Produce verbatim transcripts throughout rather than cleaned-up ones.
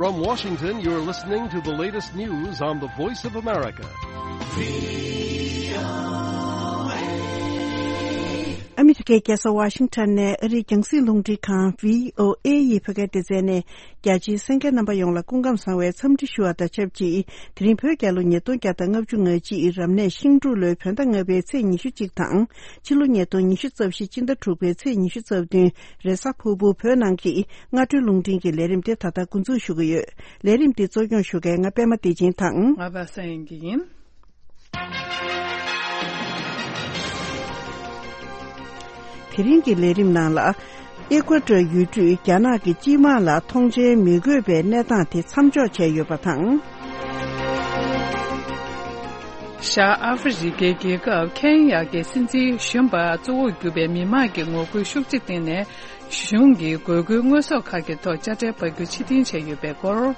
From Washington, you're listening to the latest news on the Voice of America. ཨ་མི་རི་ཀའི་རྒྱལ་ས་ཝ་ཤིང་ཊོན་ནས་ཨ་རིའི་རྒྱང་སྲིང་རླུང་འཕྲིན་ཁང་བྷི་ཨོ་ཨེ་ཡི་བོད་སྐད་སྡེ་ཚན་ནས། རྒྱ་ཆེའི་གསན་མཁན་རྣམ་པ་ཡོངས་ལ་སྐུ་ཁམས་བཟང་བའི་འཚམས་འདྲི་ཞུ་བ་དང་ཆབས་ཅིག་དེ་རིང་བོད་རྒྱལ་ལོ་ཉིས་སྟོང་བརྒྱ་དང་ལྔ་བཅུ་ང་གཅིག་རབ་གནས་ཤིང་འབྲུག་ལོའི་བོད་ཟླ་ལྔ་པའི་ཚེས་ཉི་ཤུ་གཅིག་དང་། ཕྱི་ལོ་ཉིས་སྟོང་ཉི་ཤུ་རྩ་བཞི་སྤྱི་ཟླ་དྲུག་པའི་ཚེས་ཉི་ཤུ་རྩ་བདུན། རེས་གཟའ་ཕུར་བུ། བོད་ནང་གི་སྔ་དྲོའི་རླུང་འཕྲིན་གྱི་ལས་རིམ་དེ་ད་ལྟ་འགོ་འཛུགས་ཞུ་གི་ཡོད། ལས་རིམ་འདི་གཙོ་སྐྱོང་ཞུ་མཁན་ང་པད་མ་བདེ་ཆེན་དང་། ང་པ་སངས་ཡིན་གྱི་ཡིན། དེ་རིང་གི་ལས་རིམ་ནང་ལ། ཨེ་ཀུ་ཨེ་ཏྲ་ཡུལ་གྲུས་རྒྱ་ནག་གི་སྤྱི་དམངས་ལ་ཐོངས་མཆན་མི་དགོས་པའི་གནས་སྟངས་དེ་མཚམས་འཇོག་བྱས་ཡོད་པ་དང་། ཤར་ཨ་ཧྥེ་རི་ཁའི་རྒྱལ་ཁབ་ཁེན་ཡ་གི་སྲིད་འཛིན་གཞོན་པ་གཙོ་བོར་གྱུར་པའི་མི་མང་གི་ངོ་རྒོལ་ཤུགས་ཆེ་བཏང་ནས། གཞུང་གིས་དགོས་མཁོའི་དངོས་ཟོག་ཁག་གི་ཐོག་དཔྱ་ཁྲལ་སྤར་རྒྱུ་ཕྱིར་འཐེན་བྱས་ཡོད་པའི་སྐོར།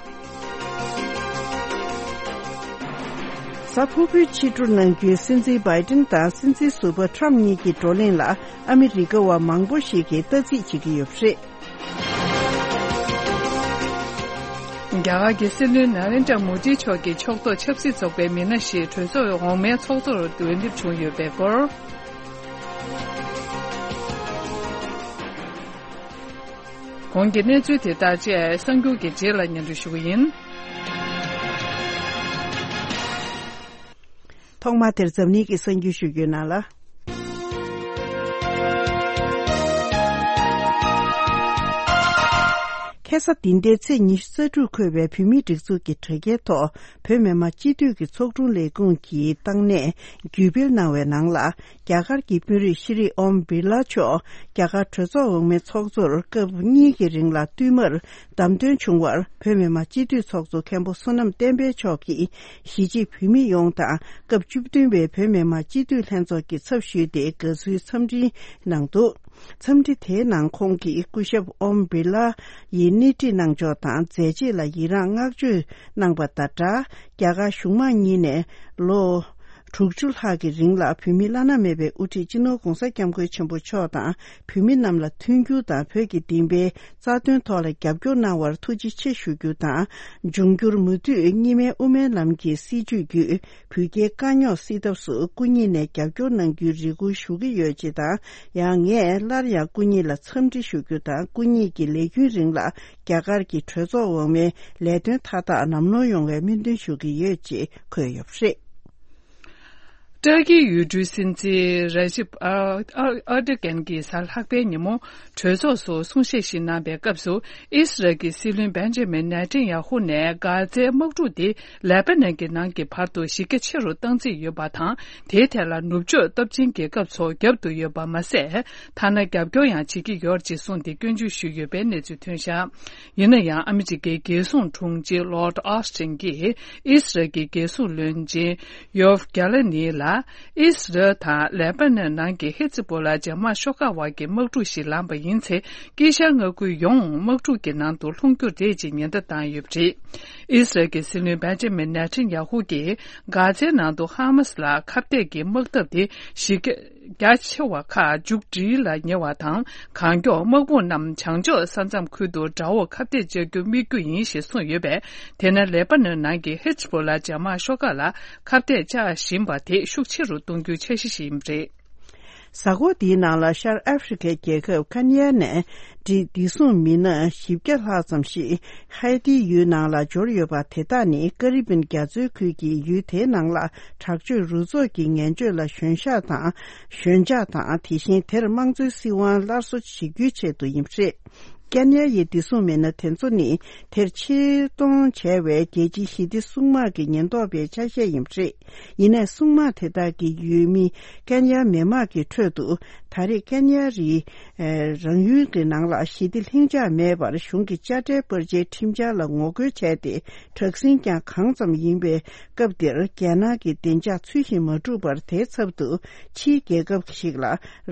གཟའ་ཕུར་བུའི་ཕྱི་དྲོར་ནམ་རྒྱུན་སྲིད་འཛིན་བྷའི་ཏིན་དང་སྲིད་འཛིན་ཟུར་པ་ཁྲམ་གཉིས་ཀྱི་བགྲོ་གླེང་ལ་ཨ་མི་རི་ཀ་བ་མང་པོ་ཞིག་གིས་ལྟ་རྩིས་བྱེད་ཀྱི་ཡོད་པ་རེད། རྒྱ་གར་གྱི་སྲིད་བློན་ན་རེན་དྲ་མོ་དི་མཆོག་གིས་ཕྱོགས་གཏོགས་ཆབ་སྲིད་ཚོགས་པའི་མི་སྣ་ཞིག་གྲོས་ཚོགས་འོག་མའི་ཚོགས་གཙོར་འོས་འདེམས་བྱུང་ཡོད་པའི་སྐོར། གོང་གི་གནས་ཚུལ་དེ་དག་བཅས་གསར་འགྱུར་གྱི་རྗེས་ལ་སྙན་སྒྲོན་ཞུ་གི་ཡིན། ཐོག་མ་དེར་འཛམ་གླིང་གི་གསར་འགྱུར་ཞུ་རྒྱུའི་ནང་ལ། ཁ་སང་འདི་ཟླའི་ཚེས་ཉི་ཤུ་རྩ་དྲུག་འཁོད་པའི་བོད་མིའི་སྒྲིག་འཛུགས་ཀྱི་དྲ་རྒྱའི་ཐོག་བོད་མི་མང་སྤྱི་འཐུས་ཀྱི་ཚོགས་དྲུང་ལས་ཁུངས་ཀྱི་བཏང་གནས་བརྒྱུད་སྤེལ་གནང་བའི་ནང་ལ། རྒྱ་གར་གྱི་དཔོན་རིགས་ཤྲི་ཨོམ་བིར་ལ་མཆོག་རྒྱ་གར་གྲོས་ཚོགས་འོག་མའི་ཚོགས་གཙོར་སྐབས་གཉིས་ཀྱི་རིང་ལ་བསྟུད་མར་བདམས་ཐོན་བྱུང་བར་བོད་མི་མང་སྤྱི་འཐུས་ཚོགས་གཙོ་མཁན་པོ་བསོད་ནམས་བསྟན་འཕེལ་མཆོག་གིས་གཞིས་བྱེས་བོད་མི་ཡོངས་དང་སྐབས་བཅུ་བདུན་པའི་བོད་མི་མང་སྤྱི་འཐུས་ལྷན་ཚོགས་ཀྱི་ཚབ་ཞུས་ཏེ་དགའ་བསུའི་འཚམས་འཕྲིན་གནང་འདུག་འཚམས་འདྲི་དེའི་ནང་ཁོང་གིས་སྐུ་ཞབས་ཨོམ་བིར་ལ་ཡི་སྣེ་ཁྲིད་གནང་ཕྱོགས་དང་མཛད་རྗེས་ལ་ཡི་རངས་བསྔགས་བརྗོད་གནང་པ་དང་སྦྲགས། རྒྱ་གར་གཞུང་མང་གཉིས་ནས་ལོ་དྲུག་ཅུ་ལྷག་གི་རིང་ལ་བོད་མིའི་བླ་ན་མེད་པའི་དབུ་ཁྲིད་སྤྱི་ནོར་༧གོང་ས་༧སྐྱབས་མགོན་ཆེན་པོ་མཆོག་དང་བོད་མི་རྣམས་ལ་མཐུན་འགྱུར་དང་བོད་ཀྱི་བདེན་པའི་རྩ་དོན་ཐོག་ལ་རྒྱབ་སྐྱོར་གནང་བར་ཐུགས་རྗེ་ཆེ་ཞུ་རྒྱུ་དང་། འབྱུང་འགྱུར་མུ་མཐུད་གཉིས་སྨན་དབུ་མའི་ལམ་གྱི་སྲིད་བྱུས་བརྒྱུད་བོད་རྒྱའི་དཀའ་རྙོག་སེལ་ཐབས་སུ་སྐུ་ཉིད་ནས་རྒྱབ་སྐྱོར་གནང་རྒྱུའི་རེ་སྐུལ་ཞུ་གི་ཡོད་ཅེས་དང་། ཡང་ངས་སླར་ཡང་སྐུ་ཉིད་ལ་འཚམས་འདྲི་ཞུ་རྒྱུ་དང་སྐུ་ཉིད་ཀྱི་ལས་རྒྱུན་རིང་ལ་རྒྱ་གར་གྱི་གྲོས་ཚོགས་འོག་མའི་ལས་དོན་མཐའ་དག་ལམ་ལྷོང་ཡོང་བའི་སྨོན་འདུན་ཞུ་གི་ཡོད་ཅེས་འཁོད་ཡོད་པ་རེད། ཏུར་ཀིའི་ཡུལ་གྲུའི་སྲིད་འཛིན་ར་ཇིབ་ཨར་ཨར་ཨར་ཏོ་གྷན་གྱིས་གཟའ་ལྷག་པའི་ཉིན་མོ་གྲོས་ཚོགས་སུ་གསུང་བཤད་ཞིག་གནང་པའི་སྐབས་སུ། ཨིས་རལ་གྱི་སྲིད་བློན་བེན་ཇ་མིན་ནེ་ཐན་ཡ་ཧུ་ནས་གྷ་ཛའི་དམག་འཁྲུག་དེ་ལེ་པ་ནན་གྱི་ནང་གི་བར་དུ་གཞི་རྒྱ་ཆེ་རུ་གཏང་རྩིས་ཡོད་པ་དང་། དེའི་ཐད་ལ་ནུབ་ཕྱོགས་སྟོབས་ཆེན་རྒྱལ་ཁབ་ཚོ་རྒྱབ་ཏུ་ཡོད་པ་མ་ཟད། ཐ་ན་རྒྱབ་སྐྱོར་ཡང་བྱེད་ཀྱི་ཡོད་ཅེས་གསུངས་ཏེ་སྐྱོན་བརྗོད་ཞུས་ཡོད་པའི་གནས་ཚུལ་ཐོན་བཞག་ཡིན་ན་ཡང་ཨ་མི་རི་ཀའི་རྒྱལ་སྲུང་དྲུང་ཆེ་ལོར་ཌི་ཨོ་སི་ཊིན་གྱིས་ཨིས་རལ་གྱི་རྒྱལ་སྲུང་བློན་ཆེན་ཡོབ་གྷ་ལ་ནི་ལ། ཨིས་རལ་དང་ལེ་པ་ནན་ནང་གི་ཧི་ཛི་བྷོ་ལ་འཇབ་དམག་ཤོག་ཁག་དབར་གྱི་དམག་འཁྲུག་ཞིག་ལངས་པ་ཡིན་ཚེ། དཀྱིལ་ཤར་མངའ་ཁུལ་ཡོངས་དམག་འཁྲུག་གི་ནང་དུ་ལྷུང་རྒྱུ་རེད་ཅེས་ཉེན་བརྡ་བཏང་ཡོད་པ་རེད། ཨིས་རལ་གྱི་སྲིད་བློན་བེན་ཇ་མིན་ནེ་ཐན་ཡ་ཧུ་གྱིས་གྷ་ཛའི་ནང་དུ་ཧ་མ་སི་ལ་ཁ་གཏད་ཀྱི་དམག་འཐབ་དེ་གཞི་རྒྱ་རྒྱ་ཆེ་བ་ཁག་མཇུག་སྒྲིལ་ལ་ཉེ་བ་དང་། གང་མགྱོགས་དམག་དཔུང་རྣམས་བྱང་ཕྱོགས་ས་མཚམས་ཁུལ་དུ་དགྲ་བོར་ཁ་གཏད་བཅག་རྒྱུ་དམིགས་རྒྱུ་ཡིན་ཞེས་གསུངས་ཡོད་པས། དེ་ནི་ལེ་པ་ནོན་ནང་གི་ཧི་ཛི་བྷོ་ལ་འཇབ་དམག་ཤོག་ཁག་ལ་ཁ་གཏད་བཅག་བཞིན་པ་དེ་ཤུགས་ཆེ་རུ་གཏོང་རྒྱུའི་འཆར་གཞི་ཞིག་ཡིན་པ་རེད། གཟའ་འཁོར་འདིའི་ནང་ལ་ཤར་ཨ་ཧྥེ་རི་ཁའི་རྒྱལ་ཁབ་ཀན་ཡ་ནས་བདེ་སྲུང་མི་སྣ་བཞི་བརྒྱ་ལྷག་ཙམ་ཞིག་ཧའེ་ཏིའི་ཡུལ་ནང་ལ་འབྱོར་ཡོད་པ། དེ་དག་ནི་ཀ་རི་བིན་རྒྱ་མཚོའི་ཁུལ་གྱི་ཡུལ་དེའི་ནང་ལ་དྲག་སྤྱོད་རུ་ཚོགས་ཀྱི་ངན་སྤྱོད་ལ་ཞོན་ཤག་དང་། ཞོན་ཆག་དང་། དེ་བཞིན་དེར་དམངས་གཙོའི་སྲིད་དབང་སླར་གསོ་བྱེད་རྒྱུའི་ཆེད་དུ་ཡིན་པ་རེད། ཀན་ཡ་ཡི་བདེ་སྲུང་མི་སྣ་དེ་ཚོ་ནི་དེར་ཆེད་གཏོང་བྱས་པའི་རྒྱལ་སྤྱིའི་ཞི་བདེ་སྲུང་དམག་གི་ཉེན་རྟོག་པའི་ཆ་ཤས་ཡིན་པ་རེད། ཡིན་ནའི་སྲུང་དམག་དེ་དག་གི་ཡུལ་མི་ཀན་ཡ་མི་དམངས་ཀྱི་ཁྲོད་དུ་ད་རེས་ཀན་ཡ་རི་རང་ཡུལ་གྱི་ནང་ལ་ཞི་བདེ་ལྷིང་འཇགས་མེད་པར་གཞུང་གི་དཔྱ་ཁྲལ་སྤར་ཆའི་ཁྲིམས་འཆར་ལ་ངོ་རྒོལ་བྱས་ཏེ། དྲག་ཟིང་ཀྱང་གང་ཙམ་ཡིན་པའི་སྐབས་འདིར། རྒྱལ་ནང་གི་བདེ་འཇགས་ཚུལ་བཞིན་མ་བསྒྲུབས་པར། དེའི་ཚབ་ཏུ་ཕྱིའི་རྒྱལ་ཁབ་ཞིག་ལ་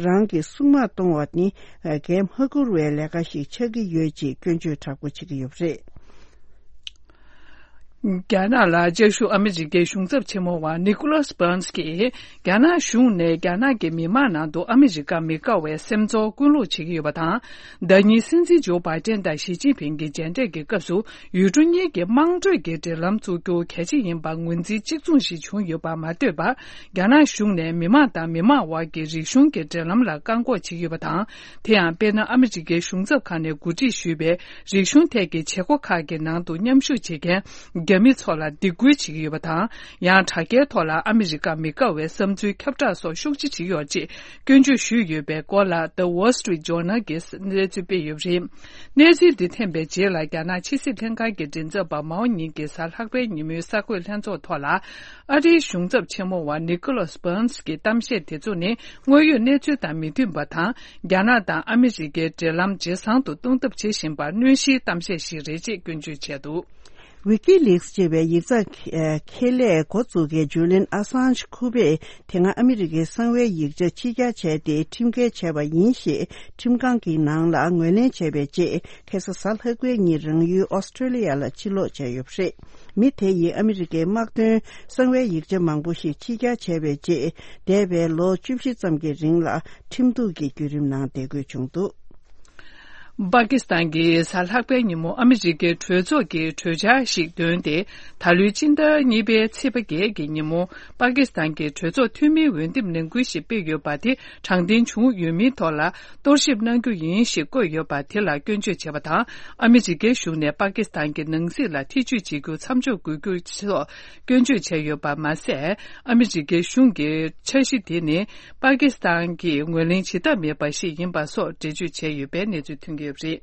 རང་གི་སྲུང་དམག་གཏོང་བ་ནི་གལ་མ་བཀུར་བའི་ལས་ཀ་ཞིག་ཆགས་ཀྱི་ཡོད་ཅེས་སྐྱོན་བརྗོད་དྲག་པོ་བྱེད་ཀྱི་ཡོད་པ་རེད། རྒྱ་ནག་ལ་བཅའ་བཞུགས་ཨ་མི་རི་ཀའི་གཞུང་ཚབ་ཆེན་མོ་བ་ནི་ཀོ་ལཱས་བྷརནས་ཀྱིས། རྒྱ་ནག་གཞུང་ནས་རྒྱ་ནག་གི་མི་མང་ནང་དུ་ཨ་མི་རི་ཀ་མི་དགའ་བའི་སེམས་ཚོར་སྐུལ་སློང་བྱེད་ཀྱི་ཡོད་པ་དང་། ཟླ་ཉིན་སྲིད་འཛིན་ཇོ་བྷའི་ཏན་དང་ཞི་ཅིན་ཕིང་གི་མཇལ་འཕྲད་ཀྱི་སྐབས་སུ། ཡུལ་གྲུ་གཉིས་ཀྱི་དམངས་ཁྲོད་ཀྱི་འབྲེལ་ལམ་བཙུགས་རྒྱུ་གལ་ཆེ་ཡིན་པར་ངོས་འཛིན་གཅིག་མཚུངས་ཤིག་བྱུང་ཡོད་པར་མ་ལྟོས་པར། རྒྱ་ནག་གཞུང་ནས་མི་མང་དང་མི་མང་དབར་གྱི་རིག་གཞུང་གི་འབྲེལ་ལམ་ལ་བཀག་འགོག་བྱེད་ཀྱི་ཡོད་པ་དང་། དེ་ཡང་དཔེར་ན། ཨ་མི་རི་ཀའི་གཞུང་ཚབ་ཁང་ནས་གོ་སྒྲིག་ཞུས་པའི་རིག་གཞུང་ཐད་ཀྱི་བྱེད་སྒོ་ཁག་གི་ནང་དུ་མཉམ་ཞུགས་བྱེད་མཁན་རྒྱ་མི་ཚོ་ལ་སྡིགས་སྐུལ་བྱེད་ཀྱི་ཡོད་པ་དང་། ཡང་དྲ་རྒྱའི་ཐོག་ལ་ཨ་མི་རི་ཀ་མི་དགའ་བའི་བསམ་ཚུལ་ཁྱབ་བསྒྲགས་སོགས་ཤུགས་ཆེ་བྱེད་ཀྱི་ཡོད་ཅེས་སྐྱོན་བརྗོད་ཞུས་ཡོད་པའི་སྐོར་ལ། The Wall Street Journal གྱིས་གནས་ཚུལ་སྤེལ་ཡོད་པ་རེད། གནས་ཚུལ་འདི་ཐོན་པའི་རྗེས་ལ། རྒྱ་ནག་ཕྱི་སྲིད་ལྷན་ཁང་གི་མགྲིན་ཚབ་པ་མའོ་ཉིང་གིས་གཟའ་ལྷག་པའི་ཉིན་མོའི་གསར་འགོད་ལྷན་ཚོགས་ཐོག་ལ། ཨ་རིའི་གཞུང་ཚབ་ཆེན་མོ་བ་ནི་ཀོ་ལཱས་བྷརནས་ཀྱི་གཏམ་བཤད་དེ་ཚོ་ནི་དངོས་ཡོད་གནས་ཚུལ་དང་མི་མཐུན་པ་དང་། རྒྱ་ནག་དང་ཨ་མི་རི་ཀའི་འབྲེལ་ལམ་ཇེ་བཟང་དུ་གཏོང་ཐབས་བྱེད་བཞིན་པར་གནོད་གཞིའི་གཏམ་བཤད་ཞིག་རེད་ཅེས་སྐྱོན་བརྗོད་བྱས་འདུག། ཝི་ཀི་ལིགས་ཅེས་པའི་ཡིག་ཚགས་ཁེ་ལས་འགོ་འཛུགས་མཁན་ཇུ་ལིན་ཨ་སཱན་ཇི་ཁུ་པས། དེ་སྔ་ཨ་མི་རི་ཀའི་གསང་བའི་ཡིག་ཆ་ཕྱི་གྱར་བྱས་ཏེ་ཁྲིམས་འགལ་བྱས་པ་ཡིན་ཞེས་ཁྲིམས་ཁང་གི་ནང་ལ་ངོས་ལེན་བྱས་པའི་རྗེས། ཁ་སང་གཟའ་ལྷག་པའི་ཉིན་རང་ཡུལ་ཨོ་སི་ཀྲོ་ལི་ཡ་ལ་ཕྱིར་ལོག་བྱས་ཡོད་པ་རེད། མི་དེ་ཡིས་ཨ་མི་རི་ཀའི་དམག་དོན་གསང་བའི་ཡིག་ཆ་མང་པོ་ཞིག་ཕྱི་གྱར་བྱས་པའི་རྗེས། འདས་པའི་ལོ་བཅུ་བཞི་ཙམ་གྱི་རིང་ལ་ཁྲིམས་གཏུག་གི་བརྒྱུད་རིམ་ནང་བསྡད་དགོས་བྱུང་འདུག། པ་ཀི་སི་ཐན་གྱིས་གཟའ་ལྷག་པའི་ཉིན་མོ་ཨ་མི་རི་ཀའི་གྲོས་ཚོགས་ཀྱི་གྲོས་འཆར་ཞིག་བཏོན་ཏེ། ད་ལོའི་སྤྱི་ཟླ་གཉིས་པའི་ཚེས་པ་བརྒྱད་ཀྱི་ཉིན་མོ། པ་ཀི་སི་ཐན་གྱི་གྲོས་ཚོགས་འཐུས་མིའི་འོས་འདེམས་ནང་ཁུལ་ཞིག་སྤེལ་ཡོད་པ་དེ་དྲང་བདེན་བྱུང་ཡོད་མིན་ཐོག་ལ་གཏོར་བཤིག་གནང་རྒྱུ་ཡིན་ཞེས་བཀོད་ཡོད་པ་དེ་ལ་སྐྱོན་བརྗོད་བྱས་པ་དང་། ཨ་མི་རི་ཀའི་གཞུང་ནས་པ་ཀི་སི་ཐན་གྱི་ནང་སྲིད་ལ་ཐེ་ཇུས་བྱེད་རྒྱུ་མཚམས་འཇོག་དགོས་རྒྱུ་སོགས་སྐྱོན་བརྗོད་བྱས་ཡོད་པ་མ་ཟད། ཨ་མི་རི་ཀའི་གཞུང་གི་འཆར་གཞི་དེ་ནི། པ་ཀི་སི་ཐན་གྱིས་ངོས་ལེན་བྱེད་ཐབས་མེད་པ་ཞིག་ཡིན་པ་སོགས་འགྲེལ་བརྗོད་བྱས་ཡོད་པའི་གནས་ཚུལ་ཐོན་གྱི་ཡོད་པ་རེད།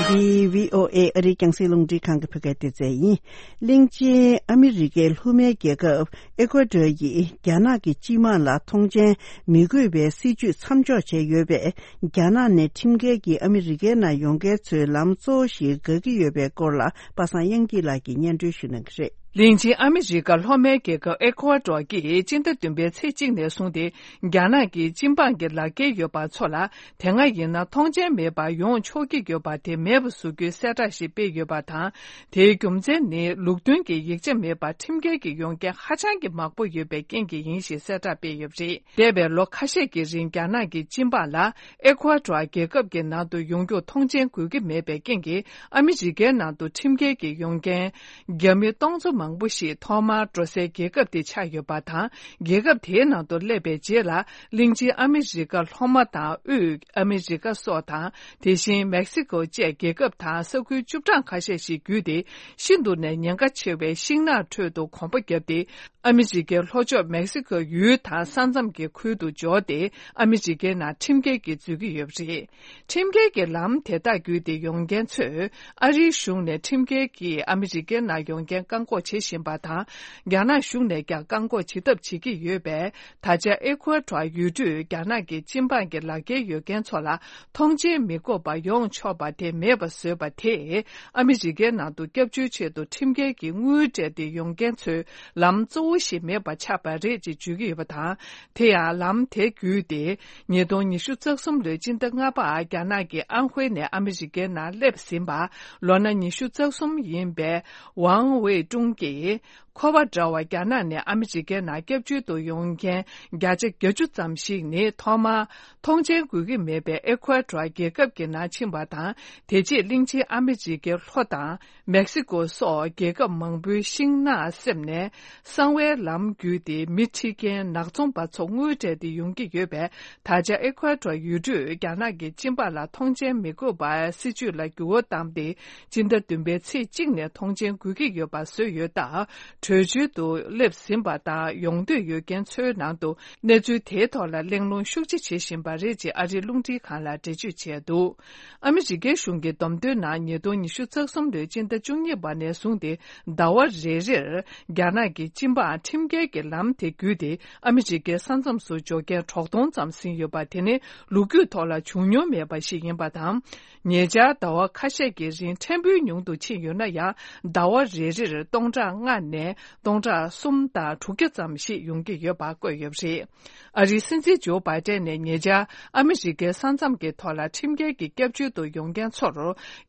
འདི་བྷི་ཨོ་ཨེ་ཨ་རིའི་རྒྱང་སྲིང་རླུང་འཕྲིན་ཁང་གི་བོད་སྐད་སྡེ་ཚན་ཡིན། གླིང་ཆེན་ཨ་མི་རི་ཀའི་ལྷོ་མའི་རྒྱལ་ཁབ་ཨེ་ཀོ་ཌོར་ཡིས་རྒྱ་ནག་གི་སྤྱི་དམངས་ལ་ཐོངས་མཆན་མི་དགོས་པའི་སྲིད་ཇུས་མཚམས་འཇོག་བྱས་ཡོད་པས། རྒྱ་ནག་ནས་ཁྲིམས་འགལ་གྱིས་ཨ་མི་རི་ཀའི་ནང་ཡོང་མཁན་ཚོའི་ལམ་གཙོ་བོ་ཞིག་འགག་གི་ཡོད་པའི་སྐོར་ལ། པ་སངས་དབྱངས་སྐྱིད་ལགས་ཀྱིས་སྙན་སྒྲོན་ཞུ་གནང་གི་རེད། གླིང་ཆེན་ཨ་མི་རི་ཀ་ལྷོ་མའི་རྒྱལ་ཁབ་ཨེ་ཀོ་ཌོར་གྱིས་སྤྱི་ཟླ་བདུན་པའི་ཚེས་གཅིག་ནས་བཟུང་སྟེ། རྒྱ་ནག་གི་སྤྱི་འབངས་ཀྱི་ལག་འཁྱེར་ཡོད་པ་ཚོ་ལ། དེ་སྔ་ཡིན་ན་ཐོངས་མཆན་མེད་པར་ཡོང་ཆོག་གི་ཡོད་པ་དེ་མེད་པ་བཟོ་རྒྱུའི་གསལ་བསྒྲགས་ཤིག་སྤེལ་ཡོད་པ་དང་། དེའི་རྒྱུ་མཚན་ནི། ལུགས་མཐུན་གྱི་ཡིག་ཆ་མེད་པར་ཁྲིམས་འགལ་གྱིས་ཡོང་མཁན་ཧ་ཅང་གི་མང་པོ་ཡོད་པའི་རྐྱེན་གྱིས་ཡིན་ཞེས་གསལ་བསྒྲགས་སྤེལ་ཡོད་པ་རེད། འདས་པའི་ལོ་ཁ་ཤས་ཀྱི་རིང་རྒྱ་ནག་གི་སྤྱི་འབངས་ལ། ཨེ་ཀོ་ཌོར་རྒྱལ་ཁབ་ཀྱི་ནང་དུ་ཡོང་རྒྱུར་ཐོངས་མཆན་དགོས་ཀྱི་མེད་པའི་རྐྱེན་གྱིས། ཨ་མི་རི་ཀའི་ནང་དུ་ཁྲིམས་འགལ་གྱིས་ཡོང་མཁན་རྒྱ་མི་སྟོང་ཚོ་མང་པོ་ཞིག་ཐོག་མར་འགྲོ་སའི་རྒྱལ་ཁབ་དེ་ཆགས་ཡོད་པ་དང་། རྒྱལ་ཁབ་དེའི་ནང་དུ་སླེབས་པའི་རྗེས་ལ། གླིང་ཆེན་ཨ་མི་རི་ཀ་ལྷོ་མ་དང་དབུས་ཨ་མི་རི་ཀ་སོགས་དང་། དེ་བཞིན་མེག་སི་ཀོ་བཅས་རྒྱལ་ཁབ་དང་ས་ཁུལ་བཅུ་གྲངས་ཁ་ཤས་ཤིག་བརྒྱུད་དེ། ཤིན་ཏུ་ནས་ཉེན་ཁ་ཆེ་བའི་ཤིང་ནགས་ཁྲོད་དུ་གོམ་པ་བརྒྱབ་སྟེ། ཨ་མི་རི་ཀའི་ལྷོ་ཕྱོགས་མེག་སི་ཀོའི་ཡུལ་དང་ས་མཚམས་ཀྱི་ཁུལ་དུ་འབྱོར་ཏེ། ཨ་མི་རི་ཀའི་ནང་ཁྲིམས་འགལ་གྱིས་འཛུལ་གྱི་ཡོད་པ་རེད། ཁྲིམས་འགལ་གྱི་ལམ་དེ་དག་བརྒྱུད་དེ་ཡོང་མཁན་ཚོས། ཨ་རིའི་གཞུང་ནས་ཁྲིམས་འགལ་གྱིས་ཨ་མི་རི་ཀའི་ནང་ཡོང་མཁན་བཀག་འགོག་བྱེད་བཞིན་པ་དང་། རྒྱ་ནག་གཞུང་ནས་ཀྱང་བཀག་འགོག་བྱེད་ཐབས་བྱེད་ཀྱི་ཡོད་པས། ད་ཆ་ཨེ་ཀོ་ཌོར་ཡུལ་གྲུས་རྒྱ་ནག་གི་སྤྱི་འབངས་ཀྱི་ལག་འཁྱེར་ཡོད་མཁན་ཚོ་ལ། ཐོངས་མཆན་མི་དགོས་པར་ཡོང་ཆོག་པ་དེ་མེད་པ་བཟོས་པ་དེས། ཨ་མི་རི་ཀའི་ནང་དུ་སྐྱབས་བཅོལ་ཆེད་དུ་ཁྲིམས་འགལ་གྱིས་དངུལ་སྤྲད་དེ་ཡོང་མཁན་ཚོའི་ལམ་གཙོ་བོ་ཞིག་མེད་པ་ཆགས་པ་རེད་ཅེས་བརྗོད་ཀྱི་ཡོད་པ་དང་། དེ་ཡང་ལམ་དེ་བརྒྱུད་དེ། ཉིས་སྟོང་ཉི་ཤུ་རྩ་གསུམ་ལོའི་སྤྱི་ཟླ་ལྔ་པར་རྒྱ་ནག་གི་ཨན་ཧུའེ་ནས་ཨ་མི་རི་ཀའི་ནང་སླེབས་ཟིན་པ། ལོ་ན་ཉི་ཤུ་རྩ་གསུམ་ཡིན་པའི་ཝང་ཝེ་ཀྲུང་གིས། ཁོ་པ་འདྲ་བ་རྒྱ་ནག་ནས་ཨ་མི་རི་ཀའི་ནང་སྐྱབས་བཅོལ་དུ་ཡོང་མཁན་བརྒྱ་ཆ་བརྒྱད་ཅུ་ཙམ་ཞིག་ནི། ཐོག་མར་ཐོངས་མཆན་དགོས་ཀྱི་མེད་པའི་ཨེ་ཀོ་ཌོར་རྒྱལ་ཁབ་ཀྱི་ནང་ཕྱིན་པ་དང་། དེ་རྗེས་གླིང་ཆེན་ཨ་མི་རི་ཀའི་ལྷོ་དང་མེག་སི་ཀོ་སོགས་རྒྱལ་ཁབ་མང་པོའི་ཤིང་ནགས་བསྲེབས་ནས། གསང་བའི་ལམ་བརྒྱུད་དེ་མི་ཁྲིད་མཁན་ནག་ཚོང་པ་ཚོ་དངུལ་སྤྲད་དེ་ཡོང་གི་ཡོད་པས། ད་ཆ་ཨེ་ཀོ་ཌོར་ཡུལ་གྲུས་རྒྱ་ནག་གི་སྤྱི་འབངས་ལ་ཐོངས་མཆན་མི་དགོས་པའི་སྲིད་ཇུས་ལ་འགྱུར་བ་བཏང་སྟེ། སྤྱི་ཟླ་བདུན་པའི་ཚེས་གཅིག་ནས་ཐོངས་མཆན་དགོས་ཀྱི་ཡོད་པ་བཟོས་ཡོད་སྟབས། བྲོས་བྱོལ་དུ་སླེབས་ཟིན་པ་དང་ཡོང་འདོད་ཡོད་མཁན་ཚོའི་ནང་དུ་གནས་ཚུལ་དེའི་ཐོག་ལ་གླེང་སློང་ཤུགས་ཆེ་བྱེད་བཞིན་པ་རེད་ཅེས་ཨ་རིའི་རླུང་འཕྲིན་ཁང་ལ་འགྲེལ་བརྗོད་བྱས་འདུག། ཨ་མི་རི་ཀའི་གཞུང་གི་བསྡོམས་ཐོན་ནང་ཉིས་སྟོང་ཉི་ཤུ་རྩ་གསུམ་ལོའི་སྤྱི་ཟླ་བཅུ་གཉིས་པ་ནས་བཟུང་སྟེ་ཟླ་བ་རེ་རེར་རྒྱ་ནག་གི་སྤྱི་འབངས་ཁྲིམས་འགལ་གྱི་ལམ་དེ་བརྒྱུད་དེ་ཨ་མི་རི་ཀའི་ས་མཚམས་སུ་འབྱོར་མཁན་དྲུག་སྟོང་ཙམ་ཟིན་ཡོད་པ་དེ་ནི་ལོ་རྒྱུས་ཐོག་ལ་བྱུང་མྱོང་མེད་པ་ཞིག་ཡིན་པ་དང་། ཉེ་ཆར་ཟླ་བ་ཁ་ཤས་ཀྱི་རིང་ཕྲན་བུ་ཉུང་དུ་ཕྱིན་ཡོད་ན་ཡང་། ཟླ་བ་རེ་རེར་སྟོང་ཕྲག་ ཕྲག་ལྔ་ནས་སྟོང་ཕྲག་གསུམ་དང་དྲུག་བརྒྱ་ཙམ་ཞིག་ཡོང་གི་ཡོད་པ་བཀོད་ཡོད་པ་རེད། ཨ་རིའི་སྲིད་འཛིན་ཇོ་བྷའི་ཏན་ནས་ཉེ་ཆར་ཨ་མི་རི་ཀའི་ས་མཚམས་ཀྱི་ཐོག་ལ་ཁྲིམས་འགལ་གྱི་སྐྱབས་བཅོལ་དུ་ཡོང་མཁན་ཚོར་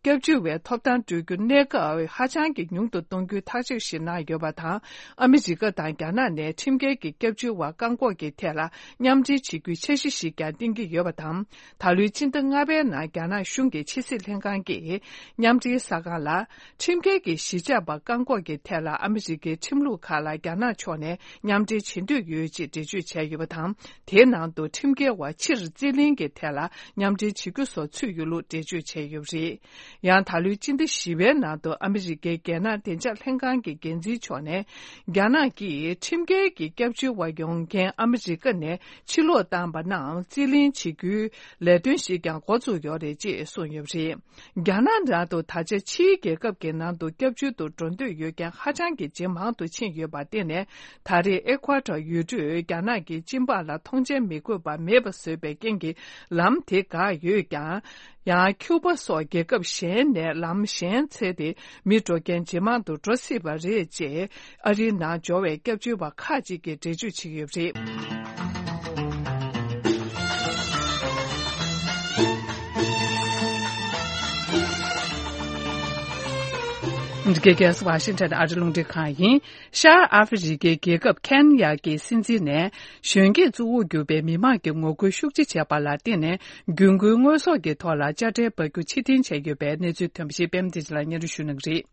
སྐྱབས་བཅོལ་བའི་ཐོབ་ཐང་སྤྲོད་རྒྱུ་གནས་སྐབས་ཧ་ཅང་གི་ཉུང་དུ་གཏོང་རྒྱུའི་ཐག་གཅོད་ཞིག་གནང་ཡོད་པ་དང་། ཨ་མི་རི་ཀ་དང་རྒྱ་ནག་ནས་ཁྲིམས་འགལ་གྱི་སྐྱབས་བཅོལ་བ་བཀག་འགོག་གི་ཐད་ལ་མཉམ་འབྲེལ་བྱེད་རྒྱུའི་འཆར་གཞི་ཞིག་ཀྱང་བཏིང་གི་ཡོད་པ་དང་། ད་ལོའི་སྤྱི་ཟླ་ལྔ་པའི་ནང་རྒྱ་ནག་གཞུང་གི་ཕྱི་སྲིད་ལྷན་ཁང་གིས་མཉམ་འབྲེལ་གསར་ཁང་ལ། ཁྲིམས་འགལ་གྱི་གཞིས་ཆགས་པ་བཀག་འགོག་གི་ཐད་ལ་ཨ་མི་རི་ཀའི་ཁྲིམས་ལུགས་ཁག་ལ་རྒྱ་ནག་ཕྱོགས་ནས་མཉམ་འབྲེལ་བྱེད་འདོད་ཡོད་ཅེས་འགྲེལ་བརྗོད་བྱས་ཡོད་པ་དང་། དེའི་ནང་དུ་ཁྲིམས་འགལ་བ་ཕྱིར་རྩིས་ལེན་གྱི་ཐད་ལ་མཉམ་འབྲེལ་བྱེད་རྒྱུ་སོགས་ཚུད་ཡོད་ལུགས་འགྲེལ་བརྗོད་བྱས་ཡོད་པ་རེད། ཡང་ད་ལོའི་སྤྱི་ཟླ་བཞི་པའི་ནང་དུ་ཨ་མི་རི་ཀའི་རྒྱལ་ནང་བདེ་འཇགས་ལྷན་ཁང་གི་འགན་འཛིན་མཆོག་ནས། རྒྱ་ནག་གིས་ཁྲིམས་འགལ་གྱི་སྐྱབས་བཅོལ་བ་ཡོང་མཁན་ཨ་མི་རི་ཀ་ནས་ཕྱིར་ལོག་བཏང་པ་རྣམས་རྩིས་ལེན་བྱེད་རྒྱུའི་ལས་དོན་ཞིག་ཀྱང་འགོ་བཙུགས་ཡོད་རེད་ཅེས་གསུངས་ཡོད་པ་རེད། རྒྱ་ནག་ནང་དུ་ད་ཆ་ཕྱིའི་རྒྱལ་ཁབ་ཀྱི་ནང་དུ་སྐྱབས་བཅོལ་དུ་འགྲོ་འདོད་ཡོད་མཁན་ཧ་ཅང་གི་ཇེ་མང་དུ་ཕྱིན་ཡོད་པར་བརྟེན་ནས། ད་རེས་ཨེ་ཁུ་ཨ་ཊར་ཡུལ་གྲུས་རྒྱ་ནག་གི་སྤྱི་འབངས་ལ་ཐོངས་མཆན་མི་དགོས་པ་མེད་པ་བཟོས་པའི་རྐྱེན་གྱིས་ལམ་དེ་འགག་ཡོད་ཀྱང་། ཡང་ཁྱུ་པ་སོགས་རྒྱལ་ཁབ་གཞན་ནས་ལམ་གཞན་འཚོལ་ཏེ་མི་འགྲོ་མཁན་ཇེ་མང་དུ་འགྲོ་སྲིད་པ་རེད་ཅེས་ཨ་རིའི་ནང་འབྱོར་བའི་སྐྱབས་བཅོལ་བ་ཁག་ཅིག་གིས་འགྲེལ་བརྗོད་བྱེད་ཀྱི་ཡོད་པ་རེད། འདི་ག་གལ་སྲིད་ཝ་ཤིང་ཊོན་ཨ་རི་རླུང་འཕྲིན་ཁང་ཡིན། ཤར་ཨ་ཧྥེ་རི་ཁའི་རྒྱལ་ཁབ་ཁེན་ཡ་གི་སྲིད་འཛིན་ནས་གཞོན་སྐྱེས་གཙོ་བོར་གྱུར་པའི་མི་མང་གི་ངོ་རྒོལ་ཤུགས་ཆེ་བྱས་པ་ལ་བརྟེན་ནས་རྒྱུན་མཁོའི་དངོས་ཟོག་གི་ཐོག་ལ་དཔྱ་ཁྲལ་འབབ་རྒྱུ་ཕྱིར་འཐེན་བྱས་ཡོད་པའི་གནས་ཚུལ་ཐོན་པ་ཞིག་པད་མ་བདེ་ཆེན་ལགས་སྙན་སྒྲོན་ཞུ་གནང་གི་རེད།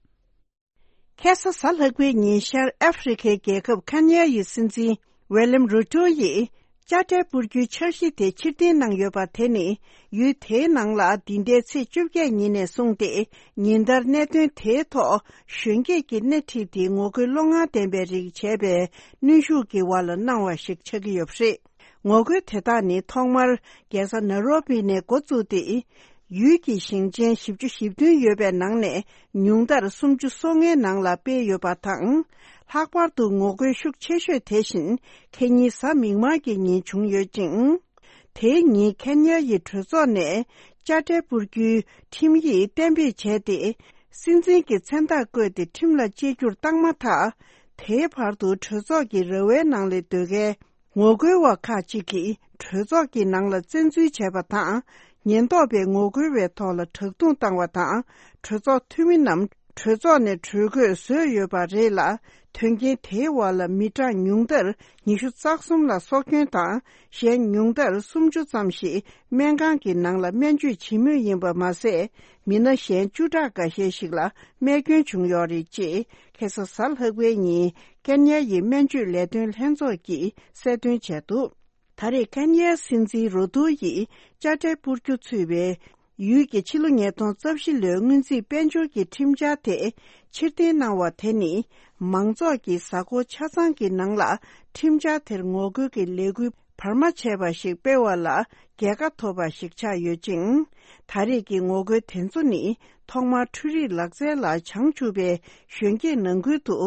ཁ་སང་གཟའ་ལྷག་པའི་ཉིན་ཤར་ཨ་ཧྥེ་རི་ཁའི་རྒྱལ་ཁབ་ཁེན་ཡ་ཡི་སྲིད་འཛིན་ཝེ་ལེམ་རུ་ཏོ་ཡིས་དཔྱ་ཁྲལ་སྤོར་རྒྱུའི་འཆར་གཞི་དེ་ཕྱིར་འཐེན་གནང་ཡོད་པ་དེ་ནི། ཡུལ་དེའི་ནང་ལ་འདི་ཟླའི་ཚེས་བཅོ་བརྒྱད་ཉིན་ནས་བཟུང་སྟེ་ཉིན་ལྟར་གནད་དོན་དེའི་ཐོག་གཞོན་སྐྱེས་ཀྱི་སྣེ་ཁྲིད་དེ་ངོ་རྒོལ་བློ་ངར་ལྡན་པའི་རིགས་བྱས་པའི་གནོན་ཤུགས་ཀྱི་བར་ལ་གནང་བ་ཞིག་ཆགས་ཀྱི་ཡོད་པ་རེད། ངོ་རྒོལ་དེ་དག་ནི་ཐོག་མར་རྒྱལ་ས་ནཱ་རོ་པི་ནས་འགོ་བཙུགས་ཏེ། ཡུལ་གྱི་ཞིང་ཆེན་བཞི་བཅུ་ཞེ་བདུན་ཡོད་པའི་ནང་ནས་ཉུང་མཐར་སུམ་ཅུ་སོ་ལྔའི་ནང་ལ་སྤེལ་ཡོད་པ་དང་། ལྷག་པར་དུ་ངོ་རྒོལ་ཤུགས་ཆེ་ཤོས་དེ་བཞིན་ཁེ་ཉིན་གཟའ་མིག་དམར་གྱི་ཉིན་བྱུང་ཡོད་ཅིང་། དེའི་ཉིན་ཁེན་ཡ་ཡི་གྲོས་ཚོགས་ནས་དཔྱ་ཁྲལ་སྤོར་རྒྱུའི་ཁྲིམས་ཡིག་གཏན་འབེབས་བྱས་ཏེ། སྲིད་འཛིན་གྱི་མཚན་རྟགས་བཀོད་དེ་ཁྲིམས་ལ་བཅད་རྒྱུར་བཏང་མ་ཐག་དེའི་བར་དུ་གྲོས་ཚོགས་ཀྱི་ར་བའི་ནང་ལ་སྡོད་མཁན་ངོ་རྒོལ་བ་ཁག་ཅིག་གིས་གྲོས་ཚོགས་ཀྱི་ནང་ལ་བཙན་འཛུལ་བྱས་པ་དང་། ཉེན་རྟོག་པས་ངོ་རྒོལ་བའི་ཐོག་ལ་དྲག་རྡུང་བཏང་བ་དང་། གྲོས་ཚོགས་འཐུས་མི་རྣམས་གྲོས་ཚོགས་ནས་བྲོས་དགོས་བཟོས་ཡོད་པ་རེད་ལ། དོན་རྐྱེན་དེའི་འོག་ལ་མི་གྲངས་ཉུང་མཐར་ཉི་ཤུ་རྩ་གསུམ་ལ་སྲོག་སྐྱོན་དང་། གཞན་ཉུང་མཐར་སུམ་ཅུ་ཙམ་ཞིག་སྨན་ཁང་གི་ནང་ལ་སྨན་བཅོས་བྱེད་མུས་ཡིན་པ་མ་ཟད། མི་སྣ་གཞན་བཅུ་ཕྲག་འགའ་ཤས་ཤིག་ལ་རྨས་སྐྱོན་བྱུང་ཡོད་རེད་ཅེས་ཁ་སང་གཟའ་ལྷག་པའི་ཉིན་ཀན་ཡ་ཡི་སྨན་བཅོས་ལས་དོན་ལྷན་ཚོགས་ཀྱིས་གསལ་སྟོན་བྱས་འདུག་ད་རེས་ཀན་ཡའི་སྲིད་འཛིན་རོ་ཏོ་ཡིས་དཔྱ་ཁྲལ་སྤོར་རྒྱུ་ཚུད་པའི་ཡུལ་གྱི་ཕྱི་ལོ་ཉིས་སྟོང་རྩ་བཞི་ལོའི་སྔོན་རྩིས་དཔལ་འབྱོར་གྱི་ཁྲིམས་འཆར་དེ་ཕྱིར་འཐེན་གནང་བ་དེ་ནི། མང་ཚོགས་ཀྱི་གཟའ་འཁོར་ཆ་ཚང་གི་ནང་ལ་ཁྲིམས་འཆར་དེར་ངོ་རྒོལ་གྱི་ལས་འགུལ་བར་མ་ཆད་པ་ཞིག་སྤེལ་བ་ལ་རྒྱལ་ཁ་ཐོབ་པ་ཞིག་ཆགས་ཡོད་ཅིང་། ད་རེས་ཀྱི་ངོ་རྒོལ་དེ་ཚོ་ནི་ཐོག་མར་འཕྲུལ་རིག་ལག་རྩལ་ལ་བྱང་ཆུབ་པའི་གཞོན་སྐྱེས་ནང་ཁུལ་དུ་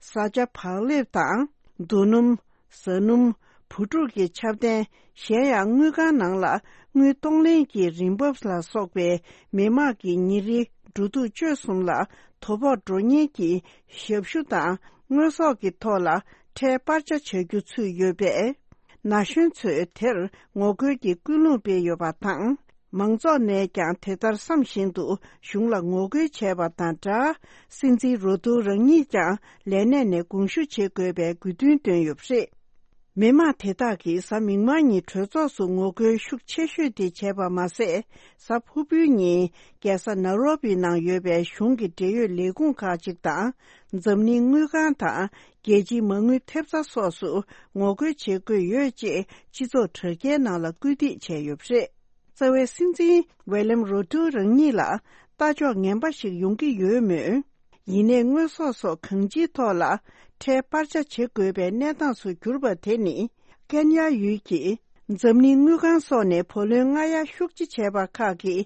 བཟའ་བཅའ་བག་ལེབ་དང་། རྡོ་སྣུམ། ཟ་སྣུམ། བུ་ཕྲུག་གི་ཆབ་གདན། གཞན་ཡང་དངུལ་ཁང་ནང་ལ་དངུལ་གཏོང་ལེན་གྱི་རིན་འབབ་ལ་སོགས་པའི་མི་དམངས་ཀྱི་ཉིན་རེའི་འགྲོ་འདུག་སྤྱོད་གསུམ་ལ་དོ་ཕོག་འགྲོ་ཉེན་གྱི་ཞབས་ཞུ་དང་དངོས་ཟོག་གི་ཐོག་ལ་ཁྲལ་སྤར་ཆ་བྱ་རྒྱུ་ཚུད་ཡོད་པས། ན་གཞོན་ཚོས་དེར་ངོ་རྒོལ་གྱི་ཀུན་སློང་སྤེལ་ཡོད་པ་དང་། མང་ཚོགས་ནས་ཀྱང་དེ་ལྟར་བསམ་བཞིན་དུ་གཞུང་ལ་ངོ་རྒོལ་བྱས་པ་དང་སྦྲགས། སྲིད་འཛིན་རོ་ཏུ་རང་ཉིད་ཀྱང་ལས་གནས་ནས་དགོངས་ཞུ་བྱེད་དགོས་པའི་དགོས་འདུན་བཏོན་ཡོད་པ་རེད། མི་མང་དེ་དག་གིས་གཟའ་མིག་དམར་ཉིན་གྲོས་ཚོགས་སུ་ངོ་རྒོལ་ཤུགས་ཆེ་ཤོས་དེ་བྱས་པ་མ་ཟད། གཟའ་ཕུར་བུའི་ཉིན་རྒྱལ་ས་ནཱ་རོ་པི་ནང་ཡོད་པའི་གཞུང་གི་འབྲེལ་ཡོད་ལས་ཁུངས་ཁག་ཅིག་དང་། འཛམ་གླིང་དངུལ་ཁང་དང་རྒྱལ་སྤྱིའི་མ་དངུལ་ཐེབས་རྩ་སོགས་སུ་ངོ་རྒོལ་བྱེད་དགོས་ཡོད་ཅེས་སྤྱི་ཚོགས་དྲ་རྒྱའི་ནང་ལ་སྐུལ་འདེད་བྱས་ཡོད་པ་རེད། རྩ་བའི་སྲིད་འཛིན་ཝེ་ལེམ་རོ་ཏུ་རང་ཉིད་ལ་ལྟ་ཕྱོགས་ངན་པ་ཞིག་ཡོང་གི་ཡོད་མོད། ཡིན་ནའི་དངོས་ཟོག་སོགས་གང་ཅིའི་ཐོག་ལ་ཁྲལ་སྤར་ཆ་བྱེད་དགོས་པའི་གནས་སྟངས་སུ་གྱུར་པ་དེ་ནི། ཀན་ཡ་ཡུལ་གྱིས་འཛམ་གླིང་དངུལ་ཁང་སོགས་ནས་བུ་ལོན་སྔ་གཡར་ཤུགས་ཆེ་བྱས་པ་ཁག་གི་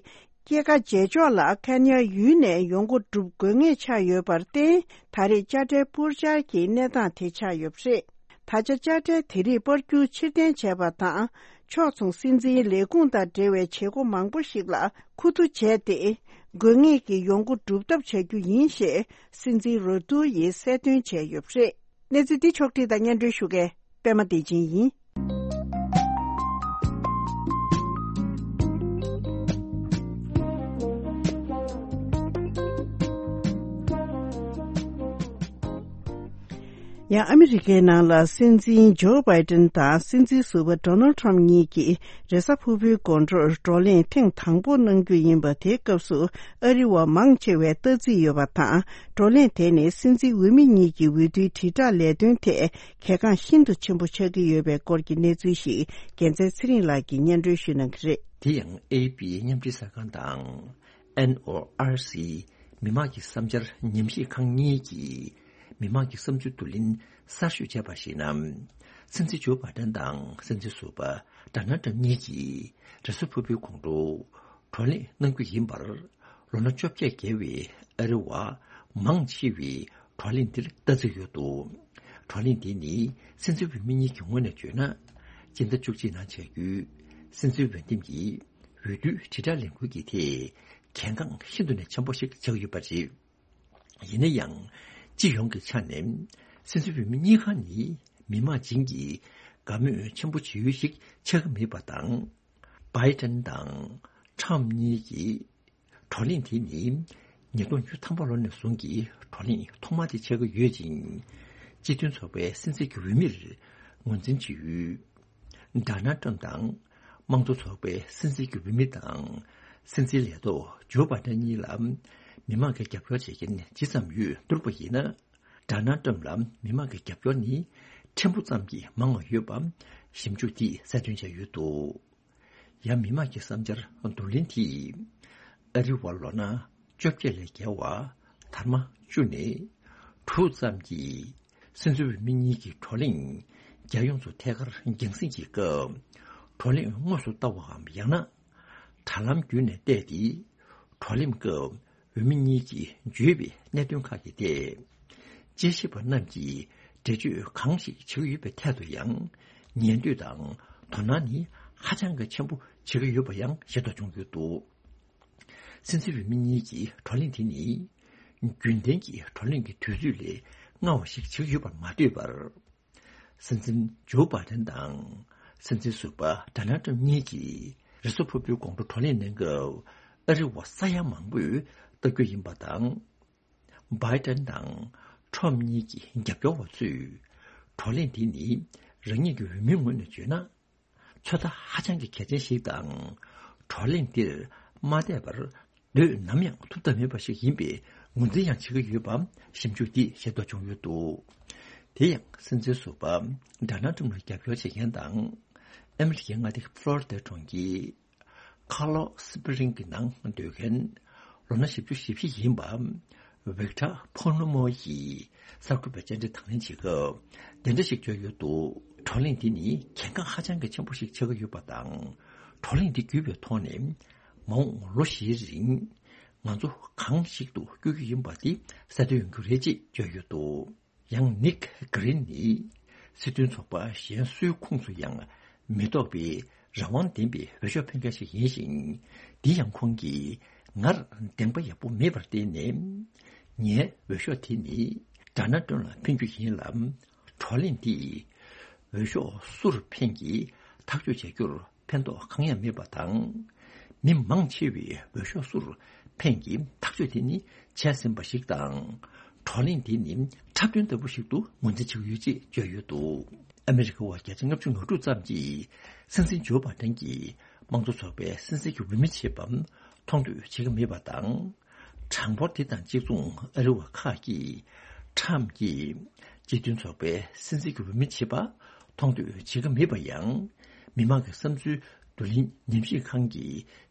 སྐྱེད་ཀ་རྗེས་ཕྱོགས་ལ་ཀན་ཡ་ཡུལ་ནས་ཡོང་སྒོ་སྒྲུབ་དགོས་ངེས་ཆགས་ཡོད་པར་བརྟེན། ད་རེས་དཔྱ་ཁྲལ་སྤོར་འཆར་གྱི་གནས་སྟངས་དེ་ཆགས་ཡོད་པ་རེད། ད་ཆ་དཔྱ་ཁྲལ་དེ་རིགས་སྤར་རྒྱུ་ཕྱིར་འཐེན་བྱས་པ་དང་། ཕྱོགས་མཚུངས་སྲིད་འཛིན་ལས་ཁུངས་དང་འབྲེལ་བའི་བྱེད་སྒོ་མང་པོ་ཞིག་ལ་ཁུ་བསྡུ་བྱས་ཏེ། དགོས་ངེས་ཀྱི་ཡོང་སྒོ་སྒྲུབ་ཐབས་བྱ་རྒྱུ་ཡིན་ཞེས་སྲིད་འཛིན་རོ་ཏུ་ཡིས་གསལ་སྟོན་བྱས་ཡོད་པ་རེད། གནས་ཚུལ་འདི་ཕྱོགས་བསྒྲིགས་དང་སྙན་སྒྲོན་ཞུ་མཁན་པད་མ་བདེ་ཆེན་ཡིན། ཡང་ཨ་མི་རི་ཀའི་ནང་ལ་སྲིད་འཛིན་ཇོ་བྷའི་ཏན་དང་སྲིད་འཛིན་ཟུར་པ་ཌོ་ནལ་ཊམ་གཉིས་ཀྱིས་རེས་གཟའ་ཕུར་བུའི་དགོང་དྲོར་བགྲོ་གླེང་ཐེངས་དང་པོ་གནང་རྒྱུ་ཡིན་པ། དེའི་སྐབས་སུ་ཨ་རི་བ་མང་ཆེ་བས་ལྟ་རྩིས་ཡོད་པ་དང་། བགྲོ་གླེང་དེ་ནི་སྲིད་འཛིན་འོས་མི་གཉིས་ཀྱི་འོས་བསྡུའི་དྲིལ་བསྒྲགས་ལས་དོན་ཐད་གལ་འགངས་ཤིན་ཏུ་ཆེན་པོ་ཆགས་ཀྱི་ཡོད་པའི་སྐོར་གྱི་གནས་ཚུལ་ཞིག་རྒྱལ་མཚན་ཚེ་རིང་ལགས་ཀྱིས་སྙན་སྒྲོན་ཞུ་གནང་གི་རེད། དེ་ཡང་ཨེ་པི་མཉམ་འབྲེལ་གསར་ཁང་དང་ཨེན་ཨོ་ཨར་སི་མི་དམངས་ཀྱི་བསམ་འཆར་ཉམས་ཞིབ་ཁང་གཉིས་ཀྱིས་མི་དམངས་ཀྱི་བསམ་ཚུལ་བསྡུ་ལེན་གསར་ཤོས་བྱས་པར་གཞིགས་ན། སྲིད་འཛིན་ཇོ་བྷའི་ཏན་དང་སྲིད་འཛིན་ཟུར་པ་ཌོ་ནལ་ཊམ་གཉིས་ཀྱིས་རེས་གཟའ་ཕུར་བུའི་དགོང་དྲོ་བགྲོ་གླེང་གནང་རྒྱུ་ཡིན་པར། ལོ་ན་བཅོ་བརྒྱད་བརྒལ་བའི་ཨ་རི་བ་མང་ཆེ་བས་བགྲོ་གླེང་འདིར་ལྟ་རྩིས་ཡོད་འདུག་བགྲོ་གླེང་འདི་ནི་སྲིད་འཛིན་འོས་མི་གཉིས་ཀྱི་ངོས་ནས་བརྗོད་ན། སྤྱི་ཟླ་བཅུ་གཅིག་ནང་བྱ་རྒྱུའི་སྲིད་འཛིན་འོས་འདེམས་ཀྱི་འོས་བསྡུའི་དྲིལ་བསྒྲགས་ལས་འགུལ་གྱི་ཐད་གལ་འགངས་ཤིན་ཏུ་ནས་ཆེན་པོ་ཞིག་ཆགས་ཡོད་པ་རེད། ཡིན་ན་ཡང་། སྤྱི་ཡོངས་ཀྱི་ཆ་ནས་སྲིད་འཛིན་འོས་མི་གཉིས་ཀ་ནི་མི་མང་བྱིངས་ཀྱི་དགའ་མོས་ཆེན་པོ་བྱེད་ཡུལ་ཞིག་ཆགས་ཀྱི་མེད་པ་དང་། བྷའི་ཏན་དང་ཊམ་གཉིས་ཀྱིས་བགྲོ་གླེང་དེ་ནི་ཉིས་སྟོང་བཅུ་ཐམ་པ་ལོ་ནས་བཟུང་གི་བགྲོ་གླེང་ཐོག་མ་དེ་ཆགས་ཀྱི་ཡོད་ཅིང་། སྤྱི་མཐུན་ཚོགས་པའི་སྲིད་འཛིན་གྱི་འོས་མིར་ངོས་འཛིན་བྱེད་ཡུལ། ཌོ་ནལ་ཊམ་དང་དམངས་གཙོ་ཚོགས་པའི་སྲིད་འཛིན་གྱི་འོས་མི་དང་། སྲིད་འཛིན་ལས་ཐོག་ཇོ་བྷའི་ཏན་གཉིས་ལ་མི་མང་གི་རྒྱབ་སྐྱོར་བྱེད་མཁན་ཇི་ཙམ་ཡོད་བསྡུར་བ་ཡིན་ན། ཌོ་ནལ་ཊམ་ལ་མི་མང་གི་རྒྱབ་སྐྱོར་ནི་ཕྲན་བུ་ཙམ་གྱིས་མང་བ་ཡོད་པ་ཞིབ་འཇུག་འདིས་གསལ་སྟོན་བྱས་ཡོད་འདུག་ཡང་མི་མང་གི་བསམ་འཆར་བསྡུ་ལེན་དེས་ཨ་རི་བ་ལོ་ན་བཅོ་བརྒྱད་ལས་བརྒལ་བ་དར་མ་བཅུ་ནས་དྲུག་ཙམ་གྱིས་སྲིད་འཛིན་འོས་མི་གཉིས་ཀྱི་བགྲོ་གླེང་རྒྱལ་ཡོངས་སུ་ཐད་ཀར་རྒྱང་སྲིང་གི་སྐབས་བགྲོ་གླེང་དངོས་སུ་ལྟ་བའམ་ཡང་ན་དྲ་ལམ་བརྒྱུད་ནས་བལྟས་ཏེ་བགྲོ་གླེང་སྐབས་འོས་མི་གཉིས་ཀྱིས་བརྗོད་པའི་གནད་དོན་ཁག་གི་ཐད། དཔྱད་ཞིབ་པ་རྣམས་ཀྱིས་འགྲེལ་བརྗོད་གང་ཞིག་བྱེད་ཀྱི་ཡོད་པའི་ཐད་དུ་ཡང་ཉན་འདོད་དང་དོ་སྣང་ནི་ཧ་ཅང་གི་ཆེན་པོ་བྱེད་ཀྱི་ཡོད་པ་ཡང་ཤེས་རྟོགས་བྱུང་ཡོད་འདུག་སྲིད་འཛིན་འོས་མི་གཉིས་ཀྱི་བགྲོ་གླེང་དེ་ནི་རྒྱུན་ལྡན་གྱི་བགྲོ་གླེང་གི་དུས་ཚོད་ལས་སྔ་བ་ཞིག་བྱེད་ཀྱི་ཡོད་པར་མ་ལྟོས་པར། སྲིད་འཛིན་ཇོ་བྷའི་ཏན་དང་སྲིད་འཛིན་ཟུར་པ་ཌོ་ནལ་ཊམ་གཉིས་ཀྱིས་རེས་གཟའ་ཕུར་བུའི་དགོང་དྲོ་བགྲོ་གླེང་གནང་སྐབས་ཨ་རི་བ་ས་ཡ་མང་པོས་ལྟ་རྒྱུ་ཡིན་པ་དང་། བྷའི་ཏན་དང་ཊམ་གཉིས་ཀྱི་རྒྱབ་སྐྱོར་བ་ཚོས་བགྲོ་གླེང་འདི་ནི་རང་ཉིད་ཀྱི་འོས་མིའི་ངོས་ནས་བརྗོད་ན། ཚོད་ལྟ་ཧ་ཅང་གི་གལ་ཆེན་ཞིག་དང་། བགྲོ་གླེང་འདིར་མ་བསྡད་པར་སྡོད་ནམ་ཡང་ཐུབ་ཐབས་མེད་པ་ཞིག་ཡིན་པའི་ངོས་འཛིན་ཡང་བྱེད་ཀྱི་ཡོད་པ་ཞིབ་འཇུག་འདིས་ཤེས་རྟོགས་བྱུང་ཡོད་འདུག་དེ་ཡང་སྲིད་འཛིན་ཟུར་པ་ཌོ་ནལ་ཊམ་ལ་རྒྱབ་སྐྱོར་བྱེད་མཁན་དང་ཨ་མི་རི་ཀའི་མངའ་སྡེ་ཕློ་རི་ཌ་གྲོང་ཁྱེར་ཁ་ལོ་སི་པི་རིང་གི་ནང་སྡོད་མཁན་ལོ་ན་བཞི་བཅུ་ཞེ་བཞི་ཡིན་པ་ཝིག་ཊར་ཕོ་ནོ་མོ་ཡིས་གསར་འགོད་པའི་བཅར་འདྲི་དང་ལེན་བྱེད་སྐབས་དེ་འདྲ་ཞིག་བརྗོད་ཡོད་འདུག་བགྲོ་གླེང་འདི་ནི་གལ་འགངས་ཧ་ཅང་གི་ཆེན་པོ་ཞིག་ཆགས་ཀྱི་ཡོད་པ་དང་། བགྲོ་གླེང་འདི་བརྒྱུད་པའི་ཐོག་ནས་མ་འོངས་ལོ་བཞིའི་རིང་ང་ཚོ་གང་ཞིག་ཏུ་བསྐྱོད་རྒྱུ་ཡིན་པ་འདི་གསལ་སྟོན་ཡོང་རྒྱུ་རེད་ཅེས་བརྗོད་ཡོད་འདུག་ཡང་ནིག་གྷི་རིན་ནི་སྲིད་དོན་ཚོགས་པ་གཞན་སུའི་ཁོངས་སུ་ཡང་མི་གཏོགས་པའི་རང་དབང་ལྡན་པའི་འོས་ཤོག་འཕེན་མཁན་ཞིག་ཡིན་ཞིང་། འདི་ཡང་ཁོང་གིས་ངར་བདེན་པ་ཡག་པོ་མེད་པར་བརྟེན་ནས་ངའི་འོས་ཤོག་དེ་ནི་ཌོ་ནལ་ཊམ་ལ་འཕེན་རྒྱུ་ཡིན་ལ། བགྲོ་གླེང་འདིས་འོས་ཤོག་སུར་འཕེན་གྱིས་ཐག་གཅོད་བྱ་རྒྱུར་ཕན་ཐོགས་གང་ཡང་མེད་པ་དང་། མི་མང་ཆེ་བས་འོས་ཤོག་སུར་འཕེན་གྱི་ཐག་གཅོད་དེ་ནི་བྱས་ཟིན་པ་ཞིག་དང་། བགྲོ་གླེང་འདི་ནི་འཁྲབ་སྟོན་ལྟ་བུ་ཞིག་ཏུ་ངོས་འཛིན་བྱེད་ཀྱི་ཡོད་ཅེས་བརྗོད་ཡོད་འདུག་ཨ་མི་རི་ཀ་བ་བརྒྱ་ཆ་ལྔ་བཅུ་ང་དྲུག་ཙམ་གྱིས་སྲིད་འཛིན་ཇོ་བྷའི་ཏན་གྱིས་དམངས་གཙོ་ཚོགས་པའི་སྲིད་འཛིན་གྱི་འོས་མི་བྱེད་པ་མཐོང་འདོད་བྱེད་ཀྱི་མེད་པ་དང་། གྲངས་འབོར་དེ་དང་གཅིག་མཚུངས་ཨ་རི་བ་ཁག་གིས་ཊམ་གྱིས་སྤྱི་མཐུན་ཚོགས་པའི་སྲིད་འཛིན་གྱི་འོས་མི་བྱེད་པ་མཐོང་འདོད་བྱེད་ཀྱི་མེད་པ་ཡང་། མི་མང་གི་བསམ་ཚུལ་བསྡུ་ལེན་ཉམས་ཞིབ་ཁང་གི་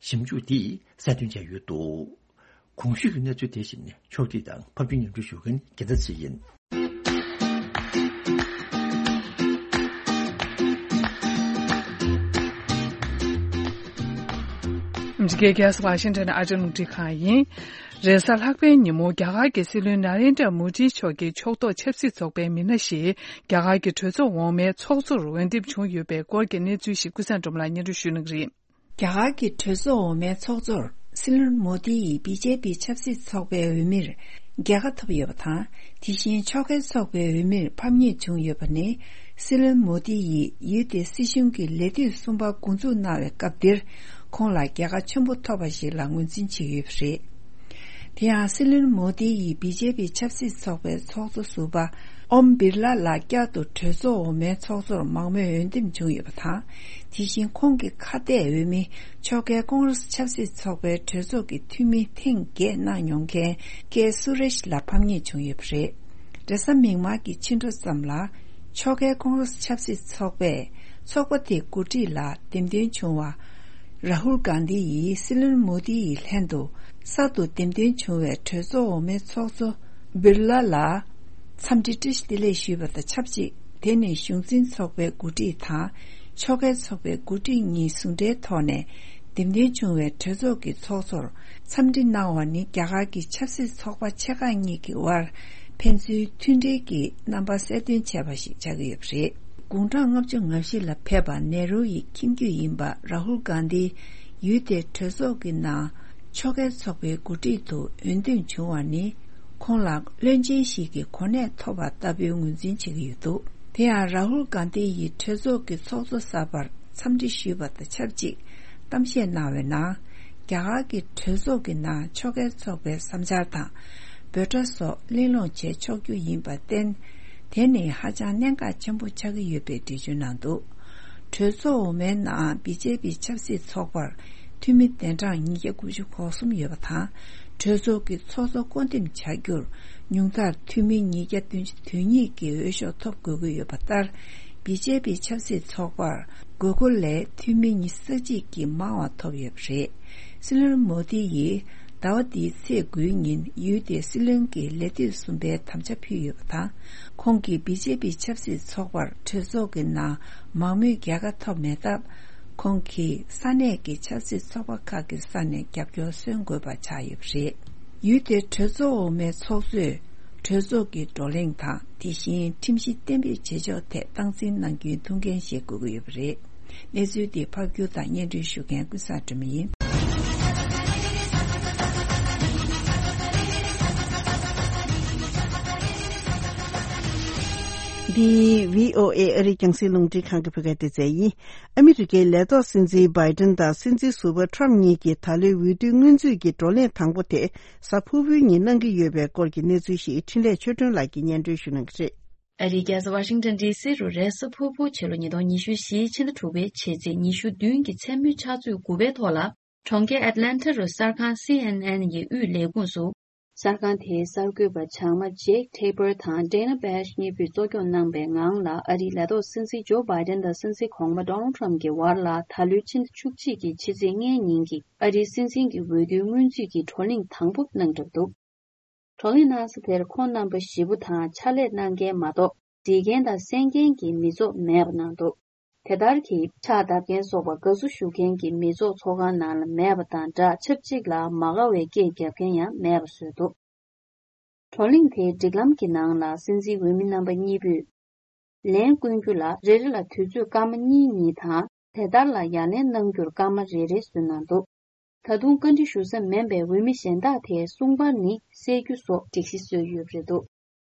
ཞིབ་འཇུག་འདིས་གསལ་སྟོན་བྱས་ཡོད་འདུག་གོང་ཞུས་ཀྱི་གནས་ཚུལ་དེ་བཞིན་ཕྱོགས་སྒྲིག་དང་ཕབ་སྒྱུར་སྙན་སྒྲོན་ཞུ་མཁན་རྒྱལ་མཚན་ཚེ་ཡིན། འདི་གའི་རྒྱལ་ས་ཝ་ཤིང་ཊོན་ཨ་རིའི་རླུང་འཕྲིན་ཁང་ཡིན། རེས་གཟའ་ལྷག་པའི་ཉིན་མོ་རྒྱ་གར་གྱི་སྲིད་བློན་ན་རེན་དྲ་མོ་དིའི་མཆོག་གི་ཕྱོགས་གཏོགས་ཆབ་སྲིད་ཚོགས་པའི་མི་སྣ་ཞིག་རྒྱ་གར་གྱི་གྲོས་ཚོགས་འོག་མའི་ཚོགས་གཙོར་འོས་འདེམས་བྱུང་ཡོད་པའི་སྐོར་གྱི་གནས་ཚུལ་ཞིག་ཀུན་བཟང་སྒྲོལ་མ་ལགས་སྙན་སྒྲོན་ཞུ་གནང་གི་རེད། རྒྱ་གར་གྱི་གྲོས་ཚོགས་འོག་མའི་ཚོགས་གཙོར་ སྲིད་བློན་མོ་དི་ཡིས་བི་ཇེ་པི་ཆབ་སྲིད་ཚོགས་པའི་འོས་མིར་རྒྱལ་ཁ་ཐོབ་ཡོད་པ་དང་། དེ་བཞིན་ཕྱོགས་འགལ་ཚོགས་པའི་འོས་མིར་ཕམ་ཉེས་བྱུང་ཡོད་པ་ནི། སྲིད་བློན་མོ་དི་ཡིས་ཡུལ་དེའི་སྲིད་གཞུང་གི་ལས་དུས་གསུམ་པ་འགོ་འཛུགས་གནང་བའི་སྐབས་འདིར། ཁོང་ལ་རྒྱལ་ཁ་ཆེན་པོ་ཐོབ་པ་ཞིག་ལ་ངོས་འཛིན་བྱེད་ཀྱི་ཡོད་པ་རེད། དེ་ཡང་སྲིད་བློན་མོ་དི་ཡིས་བི་ཇེ་པི་ཆབ་སྲིད་ཚོགས་པའི་ཚོགས་གཙོ་ཟུར་པ་ཨོམ་བིར་ལ་ལ་བསྐྱར་དུ་གྲོས་ཚོགས་འོག་མའི་ཚོགས་གཙོར་མང་མོས་འོས་འདེམས་བྱུང་ཡོད་པ་དང་། དེ་བཞིན་ཁོང་གི་ཁ་གཏད་འོས་མི་ཕྱོགས་འགལ་ཀོང་རེས་ཆབ་སྲིད་ཚོགས་པའི་གྲོས་ཚོགས་ཀྱི་འཐུས་མི་ཐེངས་བརྒྱད་གནང་མྱོང་མཁན་ཀེ་སུ་རེཤ་ལ་ཕམ་ཉེས་བྱུང་ཡོད་པ་རེད། རེས་གཟའ་མིག་དམར་གྱི་ཕྱི་དྲོ་ཙམ་ལ། ཕྱོགས་འགལ་ཀོང་རེས་ཆབ་སྲིད་ཚོགས་པས་ཚོགས་པ་དེའི་འགོ་ཁྲིད་ལ་འདེམས་ཐོན་བྱུང་བ། རཱ་ཧུལ་གྷན་དྷི་ཡིས་སྲིད་བློན་མོ་དི་ཡི་ལྷན་དུ་གསར་དུ་འདེམས་ཐོན་བྱུང་བའི་གྲོས་ཚོགས་འོག་མའི་ཚོགས་གཙོ་བིར་ལ་ལ་འཚམས་འདྲི་བཀྲ་ཤིས་བདེ་ལེགས་ཞུས་པ་དང་ཆབས་ཅིག་དེ་ནི་གཞུང་འཛིན་ཚོགས་པའི་འགོ་ཁྲིད་དང་ཕྱོགས་འགལ་ཚོགས་པའི་འགོ་ཁྲིད་གཉིས་ཟུང་འབྲེལ་ཐོག་ནས་འདེམས་ཐོན་བྱུང་བའི་གྲོས་ཚོགས་ཀྱི་ཚོགས་གཙོར་འཚམས་འདྲི་གནང་བ་ནི་རྒྱ་གར་གྱི་ཆབ་སྲིད་ཚོགས་པ་ཆེ་ཁག་གཉིས་ཀྱི་དབར་ཕན་ཚུན་མཐུན་སྒྲིལ་གྱི་རྣམ་པ་གསལ་སྟོན་བྱས་པ་ཞིག་ཆགས་ཀྱི་ཡོད་པ་རེད། དགུང་གྲངས་ལྔ་བཅུ་ང་བཞི་ལ་ཕེབས་པ་ནེ་རུ་ཡི་ཁྱིམ་རྒྱུད་ཡིན་པ་རཱ་ཧུལ་གྷན་དྷི་ཡུལ་དེའི་གྲོས་ཚོགས་ཀྱི་ནང་ཕྱོགས་འགལ་ཚོགས་པའི་འགོ་ཁྲིད་དུ་འོས་འདེམས་བྱུང་བ་ནི། ཁོང་ལ་བློན་ཆེན་ཞིག་གི་གོ་གནས་ཐོབ་པ་ལྟ་བུའི་ངོས་འཛིན་བྱེད་ཀྱི་ཡོད་འདུག་དེ་ཡང་རཱ་ཧུལ་གྷན་དྷི་ཡིས་གྲོས་ཚོགས་ཀྱི་ཚོགས་གཙོ་གསར་པར་འཚམས་འདྲི་ཞུས་པ་དང་ཆབས་ཅིག་གཏམ་བཤད་གནང་བའི་ནང་། རྒྱ་གར་གྱི་གྲོས་ཚོགས་ཀྱི་ནང་ཕྱོགས་འགལ་ཚོགས་པའི་བསམ་འཆར་དང་འབོད་སྒྲ་སོགས་གླེང་སློང་བྱེད་ཆོག་རྒྱུ་ཡིན་པར་བརྟེན། དེ་ནི་ཧ་ཅང་གནད་འགག་ཆེན་པོ་ཆགས་ཀྱི་ཡོད་པའི་འགྲེལ་བརྗོད་གནང་འདུག་གྲོས་ཚོགས་འོག་མའི་ནང་བི་ཇེ་པི་ཆབ་སྲིད་ཚོགས་པར་འཐུས་མི་གདན་གྲངས་ཉིས་བརྒྱ་དགུ་བཅུ་གོ་གསུམ་ཡོད་པ་དང་། གྲོས་ཚོགས་ཀྱི་ཚོགས་གཙོ་བསྐོ་འདེམས་བྱ་རྒྱུར་ཉུང་མཐར་འཐུས་མི་ཉིས་བརྒྱ་བདུན་ཅུ་དོན་གཉིས་ཀྱི་འོས་ཤོག་ཐོབ་དགོས་ཀྱི་ཡོད་པ་ལྟར། བི་ཇེ་པི་ཆབ་སྲིད་ཚོགས་པར་དགོས་མཁོ་ལས་འཐུས་མི་ཉི་ཤུ་རྩ་གཅིག་གིས་མང་བ་ཐོབ་ཡོད་པ་རེད། སྲིད་བློན་མོ་དི་ཡིས་ཟླ་བ་འདིའི་ཚེས་དགུའི་ཉིན་ཡུལ་དེའི་སྲིད་བློན་གྱི་ལས་དུས་གསུམ་པའི་དམ་བཅའ་ཕུལ་ཡོད་པ་དང་། ཁོང་གིས་བི་ཇེ་པི་ཆབ་སྲིད་ཚོགས་པར་གྲོས་ཚོགས་ཀྱི་ནང་མང་མོས་རྒྱལ་ཁ་ཐོབ་མེད་སྟབས། ཁོང་གིས་ས་གནས་ཀྱི་ཆབ་སྲིད་ཚོགས་པ་ཁག་གི་ས་ནས་རྒྱབ་སྐྱོར་སོན་དགོས་པ་ཆགས་ཡོད་པ་རེད། ཡུལ་དེའི་གྲོས་ཚོགས་འོག་མའི་ཚོགས་གཙོས་གྲོས་ཚོགས་ཀྱི་བགྲོ་གླེང་དང་། དེ་བཞིན་ཁྲིམས་གཞི་གཏན་འབེབས་བྱེད་ཕྱོགས་ཐད་སྟངས་འཛིན་གནང་རྒྱུའི་ཐུགས་འགན་བཞེས་དགོས་ཀྱི་ཡོད་པ་རེད། གནས་ཚུལ་འདི་ཕབ་སྒྱུར་དང་སྙན་སྒྲོན་ཞུ་མཁན་ཀུན་བཟང་སྒྲོལ་མ་ཡིན། འདི་བྷི་ཨོ་ཨེ་ཨ་རིའི་རྒྱང་སྲིང་རླུང་འཕྲིན་ཁང་གི་བོད་སྐད་སྡེ་ཚན་ཡིན། ཨ་མི་རི་ཀའི་ལས་ཐོག་སྲིད་འཛིན་བྷའི་ཏན་དང་སྲིད་འཛིན་ཟུར་པ་ཁྲམ་གཉིས་ཀྱི་ད་ལོའི་འོས་བསྡུའི་སྔོན་རྩིས་ཀྱི་བགྲོ་གླེང་དང་པོ་དེ་གཟའ་ཕུར་བུའི་ཉིན་གནང་གི་ཡོད་པའི་སྐོར་གྱི་གནས་ཚུལ་ཞིག་འཕྲིན་ལས་ཆོས་སྒྲོན་ལགས་ཀྱིས་སྙན་སྒྲོན་ཞུ་གནང་གི་རེད། ཨ་རིའི་རྒྱལ་ས་ཝ་ཤིང་ཊོན་ཌི་སི་རུ་རེས་གཟའ་ཕུར་བུ་ཕྱི་ལོ་ཉིས་སྟོང་ཉི་ཤུ་བཞིའི་ཕྱི་ཟླ་དྲུག་པའི་ཕྱི་ཚེས་ཉི་ཤུ་བདུན་གྱི་མཚན་མོའི་ཕྱག་ཚོད་དགུ་པའི་ཐོག་ལ། གྲོང་ཁྱེར་ཨེཊ་ལན་ཊ་རུ་གསར་ཁང་སི་ཨེན་ཨེན་གྱི་དབུས་ལས་ཁུངས་སུ། གསར་ཁང་དེའི་གསར་འགོད་པ་བྱང་མ་ཇེག་ཐེ་པར་དང་ཌེ་ན་བྷེཤ་གཉིས་པོས་གཙོ་སྐྱོང་གནང་པའི་ངང་ལ། ཨ་རིའི་ལས་ཐོག་སྲིད་འཛིན་ཇོ་བྷའི་ཏན་དང་སྲིད་འཛིན་གོང་མ་ཌོ་ནལ་ཊམ་གྱི་བར་ལ། ད་ལོའི་ཕྱི་ཟླ་བཅུ་གཅིག་གི་ཕྱི་ཚེས་ལྔའི་ཉིན་གྱི་ཨ་རིའི་སྲིད་འཛིན་གྱི་འོས་བསྡུའི་སྔོན་རྩིས་ཀྱི་བགྲོ་གླེང་དང་པོ་གནང་གྲབས་འདུག་བགྲོ་གླེང་གནང་ས་དེར་ཁོང་རྣམ་པ་བཞི་པོ་དང་ཕྱག་ལས་གནང་མཁན་མ་གཏོགས། འབྲི་མཁན་དང་གསན་མཁན་གྱི་མི་ཚོགས་མེད་པ་གནང་འདུག་དེ་ལྟར་གྱི་ཕྱག་བརྡབ་མཁན་སོགས་པ་དགའ་བསུ་ཞུ་མཁན་གྱི་མི་ཚོགས་ཚོགས་ཁང་ནང་ལ་མེད་པ་དང་སྦྲགས། ཆབས་ཅིག་ལ་མ་དགའ་བའི་སྐད་རྒྱབ་མཁན་ཡང་མེད་པ་བཟོས་འདུག་བགྲོ་གླེང་དེའི་སྒྲིག་ལམ་གྱི་ནང་ལ། སྲིད་འཛིན་འོས་མི་རྣམ་པ་གཉིས་པོས་ལན་བསྐོན་རྒྱུ་ལ་རེ་རེ་ལ་དུས་ཚོད་སྐར་མ་གཉིས་གཉིས་དང་། དེ་ལྟར་ལ་ཡ་ལན་གནང་རྒྱུར་སྐར་མ་རེ་རེ་བཟོས་གནང་འདུག་ད་དུང་བཀའ་འདྲི་ཞུ་ས་མིན་པའི་འོས་མི་གཞན་དག་དེའི་གསུང་པར་ནི་གསལ་རྒྱུ་སོགས་སྒྲིག་གཞི་བཟོས་ཡོད་པ་རེད་འདུག་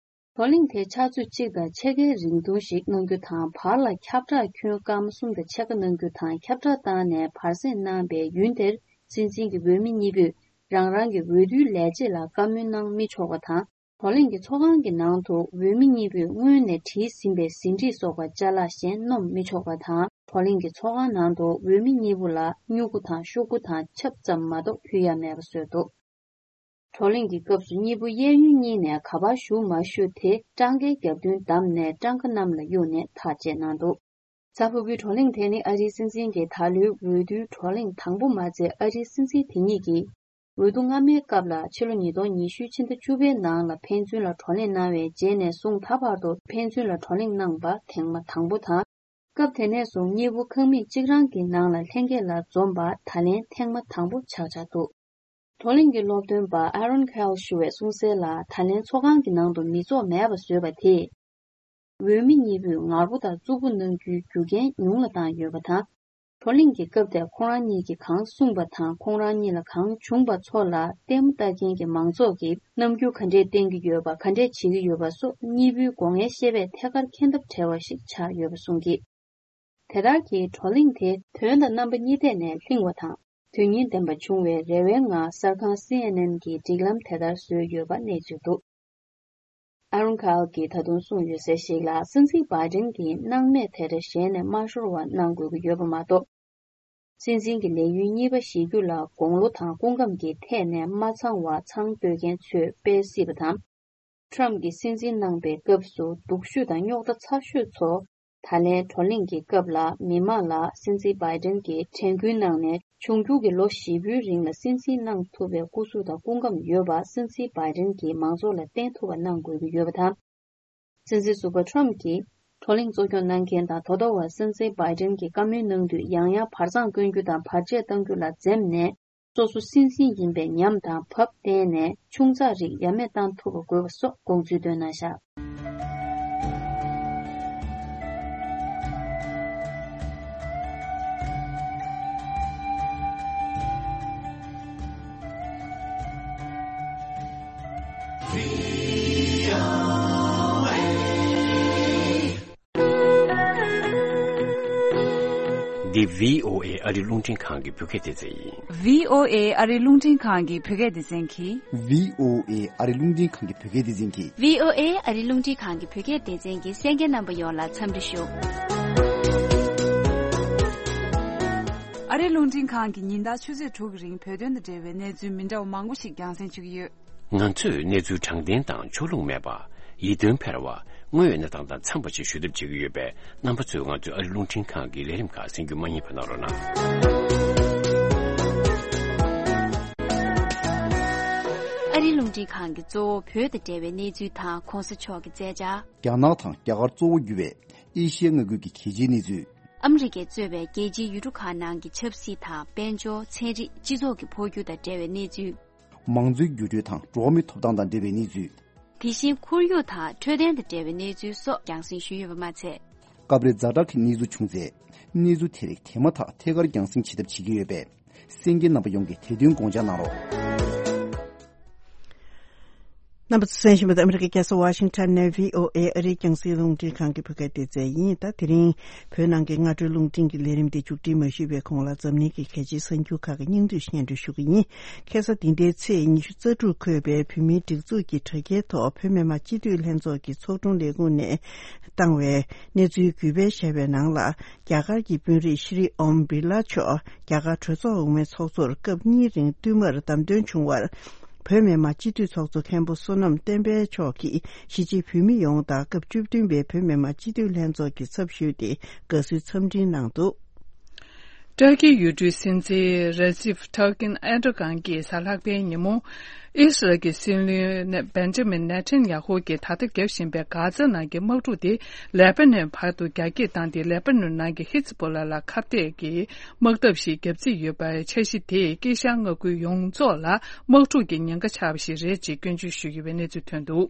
བགྲོ་གླེང་དེ་ཕྱག་ཚོད་གཅིག་དང་ཕྱེད་ཀའི་རིང་ཐུང་ཞིག་གནང་རྒྱུ་དང་། བར་ལ་ཁྱབ་བསྒྲགས་ཁྱོན་སྐར་མ་གསུམ་དང་ཕྱེད་ཀ་གནང་རྒྱུ་དང་། ཁྱབ་བསྒྲགས་བཏང་ནས་བར་གསེང་གནང་པའི་ཡུན་དེར། སྲིད་འཛིན་གྱི་འོས་མི་གཉིས་པོས་རང་རང་གི་འོས་བསྡུའི་ལས་བྱེད་ལ་བཀའ་མོལ་གནང་མི་ཆོག་པ་དང་། བགྲོ་གླེང་གི་ཚོགས་ཁང་གི་ནང་དུ་འོས་མི་གཉིས་པོས་སྔོན་ནས་བྲིས་ཟིན་པའི་ཟིན་བྲིས་སོགས་པ་ཅ་ལག་གཞན་སྣོམ་མི་ཆོག་པ་དང་། བགྲོ་གླེང་གི་ཚོགས་ཁང་ནང་དུ་འོས་མི་གཉིས་པོ་ལ་སྨྱུ་གུ་དང་ཤོག་གུ་དང་ཆབ་ཙམ་མ་གཏོགས་ཕུལ་ཡ་མེད་པ་བཟོས་འདུག་བགྲོ་གླེང་གི་སྐབས་སུ་གཉིས་པོ་གཡས་གཡོན་གཉིས་ནས་ག་པར་བཞུགས་མ་བཞུགས་དེ་སྤྲང་ཀའི་རྒྱབ་མདུན་བསྡམས་ནས་སྤྲང་ཀ་གནམ་ལ་གཡུགས་ནས་ཐག་བཅད་གནང་འདུག་གཟའ་ཕུར་བུའི་བགྲོ་གླེང་དེ་ནི་ཨ་རིའི་སྲིད་འཛིན་གྱི་ད་ལོའི་འོས་བསྡུའི་བགྲོ་གླེང་དང་པོ་མ་ཚད། ཨ་རིའི་སྲིད་འཛིན་དེ་ཉིད་ཀྱིས་འོས་བསྡུ་སྔ་མའི་སྐབས་ལ་ཕྱི་ལོ་ཉིས་སྟོང་ཉི་ཤུའི་ཕྱི་ཟླ་བཅུ་པའི་ནང་ལ་ཕན་ཚུན་ལ་བགྲོ་གླེང་གནང་བའི་རྗེས་ནས་བཟུང་ད་བར་དུ་ཕན་ཚུན་ལ་བགྲོ་གླེང་གནང་པ་ཐེངས་མ་དང་པོ་དང་། སྐབས་དེ་ནས་བཟུང་གཉིས་པོ་ཁང་མིག་གཅིག་རང་གི་ནང་ལ་ལྷན་རྒྱས་ལ་འཛོམས་པ་ད་ལན་ཐེངས་མ་དང་པོ་ཆགས་ཆགས་འདུག་བགྲོ་གླེང་གི་སློབ་སྟོན་པ་ཨ་རོན་ཁལ་ཞུ་བས་གསུངས་གསལ་ལ། ད་ལན་ཚོགས་ཁང་གི་ནང་དུ་མི་ཚོགས་མེད་པ་བཟོས་པ་དེས། འོས་མི་གཉིས་པོས་ངར་པོ་དང་རྩུབ་པོ་གནང་རྒྱུའི་རྒྱུ་རྐྱེན་ཉུང་ལ་བཏང་ཡོད་པ་དང་། བགྲོ་གླེང་གི་སྐབས་དེར་ཁོང་རང་གཉིས་ཀྱིས་གང་གསུངས་པ་དང་ཁོང་རང་གཉིས་ལ་གང་བྱུང་པ་ཚོ་ལ་ལྟད་མོ་ལྟ་མཁན་གྱི་མང་ཚོགས་ཀྱིས་རྣམ་འགྱུར་ག་འདྲས་བསྟན་གྱི་ཡོད་པ་ག་འདྲས་བྱེད་ཀྱི་ཡོད་པ་སོགས་གཉིས་པོའི་སྒོ་ངའི་བཤད་པས་ཐད་ཀར་མཁྱེན་ཐབས་བྲལ་བ་ཞིག་ཆགས་ཡོད་པ་གསུངས་ཀྱིས། དེ་ལྟར་གྱི་བགྲོ་གླེང་དེ་དོན་དང་རྣམ་པ་གཉིས་ཐད་ནས་ལྷིང་བ་དང་དོན་སྙིང་ལྡན་པ་བྱུང་བའི་རེ་བའི་ངང་གསར་ཁང་སི་ཨེན་ཨེན་གྱིས་སྒྲིག་ལམ་དེ་ལྟར་བཟོས་ཡོད་པ་གནས་ཚུལ་འདུག། ཨ་རོན་ཁཱལ་གྱིས་ད་དུང་གསུངས་ཡོད་གསལ་ཞིག་ལ། སྲིད་འཛིན་བྷའི་ཌེན་གྱིས་སྣང་མེད་དེ་འདྲ་ཞེད་ནས་མ་ཤོར་བ་གནང་དགོས་ཀྱི་ཡོད་པ་མ་གཏོགས། སྲིད་འཛིན་གྱི་ལས་ཡུན་གཉིས་པ་བཞེས་རྒྱུ་ལ་དགུང་ལོ་དང་སྐུ་ཁམས་ཀྱི་ཐད་ནས་མ་ཚང་བ་ཚང་གཏོད་མཁན་ཚོས་སྤེལ་སྲིད་པ་དང་། ཊམ་གྱིས་སྲིད་འཛིན་གནང་པའི་སྐབས་སུ་སྡུག་ཤོས་དང་རྙོག་དྲ་ཚ་ཤོས་ཚོ། ད་ལན་བགྲོ་གླེང་གི་སྐབས་ལ་མི་མང་ལ་སྲིད་འཛིན་བྷའི་ཌེན་གྱིས་དྲན་སྐུལ་གནང་ནས། འབྱུང་འགྱུར་གྱི་ལོ་བཞི་པོའི་རིང་ལ་སྲིད་འཛིན་གནང་ཐུབ་པའི་སྐུ་གཟུགས་དང་སྐུ་ཁམས་ཡོད་པ་སྲིད་འཛིན་བྷའི་ཌེན་གྱིས་མང་ཚོགས་ལ་བསྟན་ཐུབ་པ་གནང་དགོས་ཀྱི་ཡོད་པ་དང་། སྲིད་འཛིན་ཟུར་པ་ཊམ་གྱིས་བགྲོ་གླེང་གཙོ་སྐྱོང་གནང་མཁན་དང་དོ་དོ་བར་སྲིད་འཛིན་བྷའི་ཌེན་གྱིས་བཀའ་མོལ་གནང་དུས་ཡང་ཡང་བར་མཚམས་བསྐོན་རྒྱུ་དང་བར་ཆད་གཏང་རྒྱུ་ལ་འཛེམས་ནས། སོ་སོ་སྲིད་འཛིན་ཡིན་པའི་ཉམས་དང་བབ་བསྟན་ནས་ཆུང་ཙག་རིགས་ཡ་མེད་བཏང་ཐུབ་པ་དགོས་པ་སོགས་དགོངས་ཚུལ་བཏོན་གནང་བཞག། འདི་བྷི་ཨོ་ཨེ་ཨ་རི་རླུང་འཕྲིན་ཁང་གི་བོད་སྐད་སྡེ་ཚན་ཡིན། བྷི་ཨོ་ཨེ་ཨ་རི་རླུང་འཕྲིན་ཁང་གི་བོད་སྐད་སྡེ་ཚན་གྱིས། བྷི་ཨོ་ཨེ་ཨ་རི་རླུང་འཕྲིན་ཁང་གི་བོད་སྐད་སྡེ་ཚན་གྱིས། བྷི་ཨོ་ཨེ་ཨ་རི་རླུང་འཕྲིན་ཁང་གི་བོད་སྐད་སྡེ་ཚན་གྱི་གསན་མཁན་རྣམ་པ་ཡོངས་ལ་འཚམས་འདྲི་ཞུ། ཨ་རི་རླུང་འཕྲིན་ཁང་གིས་ཉིན་ལྟར་ཆུ་ཚོད་དྲུག་གི་རིང་བོད་དོན་དང་འབྲེལ་བའི་གནས་ཚུལ་མི་འདྲ་བ་མང་པོ་ཞིག་རྒྱང་སྲིང་ཞུ་གི་ཡོད། ང་ཚོས་གནས་ཚུལ་དྲང་བདེན་དང་ཕྱོགས་ལྷུང་མེད་པ། ཡིད་རྟོན་འཕེར་བ། དངོས་ཡོད་གནས་སྟངས་དང་འཚམས་པ་ཞིག་ཞུ་ཐབས་བྱེད་ཀྱི་ཡོད་པས། རྣམ་པ་ཚོས་ང་ཚོའི་ཨ་རི་རླུང་འཕྲིན་ཁང་གི་ལས་རིམ་ཁག་གསན་རྒྱུ་མ་བསྙེལ་བ་གནང་རོགས་གནང་། ཨ་རི་རླུང་འཕྲིན་ཁང་གིས་གཙོ་བོ་བོད་དང་འབྲེལ་བའི་གནས་ཚུལ་དང་གོང་ས་མཆོག་གི་མཛད་འཆར། རྒྱ་ནག་དང་རྒྱ་གར་གཙོ་བོ་གྱུར་བའི་ཨེ་ཤི་ཡའི་མངའ་ཁུལ་གྱི་གལ་ཆེའི་གནས་ཚུལ། ཨ་མི་རི་ཀས་གཙོས་པའི་རྒྱལ་སྤྱིའི་ཡུལ་གྲུ་ཁག་ནང་གི་ཆབ་སྲིད་དང་དཔལ་འབྱོར། ཚན་རིག་སྤྱི་ཚོགས་ཀྱི་འཕོ་འགྱུར་དང་འབྲེལ་བའི་གནས་ཚུལ། མང་གཙོའི་འགྱུར་འགྲོས་དང་འགྲོ་བ་མིའི་ཐོབ་ཐང་དང་འབྲེལ་བའི་གནས་ཚུལ། དེ་བཞིན་ཁོར་ཡུག་དང་འཕྲོད་བསྟེན་དང་འབྲེལ་བའི་གནས་ཚུལ་སོགས་རྒྱང་སྲིང་ཞུས་ཡོད་པ་མ་ཚད། སྐབས་རེ་ཛ་དྲག་གི་གནས་ཚུལ་བྱུང་ཚེ། གནས་ཚུལ་དེ་རིགས་དེ་མ་ཐག་ཐད་ཀར་རྒྱང་སྲིང་བྱེད་ཐབས་བྱེད་ཀྱི་ཡོད་པས། གསན་མཁན་རྣམ་པ་ཡོངས་ཀྱིས་དེ་དོན་དགོངས་འཇགས་གནང་རོགས། རྣམ་པ་ཚོ་གསན་བཞིན་པ་ཨ་མི་རི་ཀའི་རྒྱལ་ས་ཝ་ཤིང་ཊོན་ནས་བྷི་ཨོ་ཨེ་ཨ་རིའི་རྒྱང་སྲིང་རླུང་འཕྲིན་ཁང་གི་བོད་སྐད་སྡེ་ཚན་ཡིན། ད་དེ་རིང་བོད་ནང་གི་སྔ་དྲོའི་རླུང་འཕྲིན་གྱི་ལས་རིམ་དེ་མཇུག་སྒྲིལ་མ་ཞུས་པའི་གོང་ལ་འཛམ་གླིང་གི་གལ་ཆེའི་གསར་འགྱུར་ཁག་གི་སྙིང་བསྡུས་སྙན་སྒྲོན་ཞུ་གི་ཡིན། ཁ་སང་འདི་ཟླའི་ཚེས་ཉི་ཤུ་རྩ་དྲུག་འཁོད་པའི་བོད་མིའི་སྒྲིག་འཛུགས་ཀྱི་དྲ་རྒྱའི་ཐོག་བོད་མི་མང་སྤྱི་འཐུས་ལྷན་ཚོགས་ཀྱི་ཚོགས་དྲུང་ལས་ཁུངས་ནས་བཏང་བའི་གནས་ཚུལ་གུས་པས་བཤད་པའི་ནང་ལ། རྒྱ་གར་གྱི་དཔོན་རིགས་ཤྲི་ཨོམ་བི་རླ་མཆོག་རྒྱ་གར་གྲོས་ཚོགས་འོག་མའི་ཚོགས་གཙོར་སྐབས་གཉིས་རིང་བསྟུད་མར་བདམས་ཐོན་བྱུང་བར། བོད་མི་མང་སྤྱི་འཐུས་ཚོགས་གཙོ་མཁན་པོ་བསོད་ནམས་བསྟན་འཕེལ་མཆོག་གིས་གཞིས་བྱེས་བོད་མི་ཡོངས་དང་སྐབས་བཅུ་བདུན་པའི་བོད་མི་མང་སྤྱི་འཐུས་ལྷན་ཚོགས་ཀྱི་ཚབ་ཞུས་ཏེ་དགའ་བསུའི་འཚམས་འཕྲིན་གནང་འདུག། ཏུར་ཀིའི་ཡུལ་གྲུའི་སྲིད་འཛིན་རེ་ཛིབ་ཐར་ཀིན་ཨེར་ཏོ་གྷན་གྱིས་གཟའ་ལྷག་པའི་ཉིན་མོ། ཨི་སི་རལ་གྱི་སྲིད་བློན་བན་ཇ་མིན་ནེ་ཐན་ཡ་ཧུ་གིས་ད་ལྟ་བརྒྱབ་བཞིན་པའི་གྷ་ཛ་ནང་གི་དམག་འཁྲུག་དེ་ལེ་པ་ནོན་བར་དུ་རྒྱ་སྐྱེད་བཏང་སྟེ། ལེ་པ་ནོན་ནང་གི་ཧི་ཛི་པོ་ལ་ལ་ཁ་གཏད་ཀྱི་དམག་འཐབ་ཞིག་བརྒྱབ་རྩིས་ཡོད་པའི་འཆར་གཞི་དེས་དཀྱིལ་ཤར་མངའ་ཁུལ་ཡོངས་རྫོགས་ལ་དམག་འཁྲུག་གི་ཉེན་ཁ་ཆགས་པ་ཞིག་རེད་ཅེས་སྐྱོན་བརྗོད་ཞུས་ཡོད་པའི་གནས་ཚུལ་ཐོན་འདུག།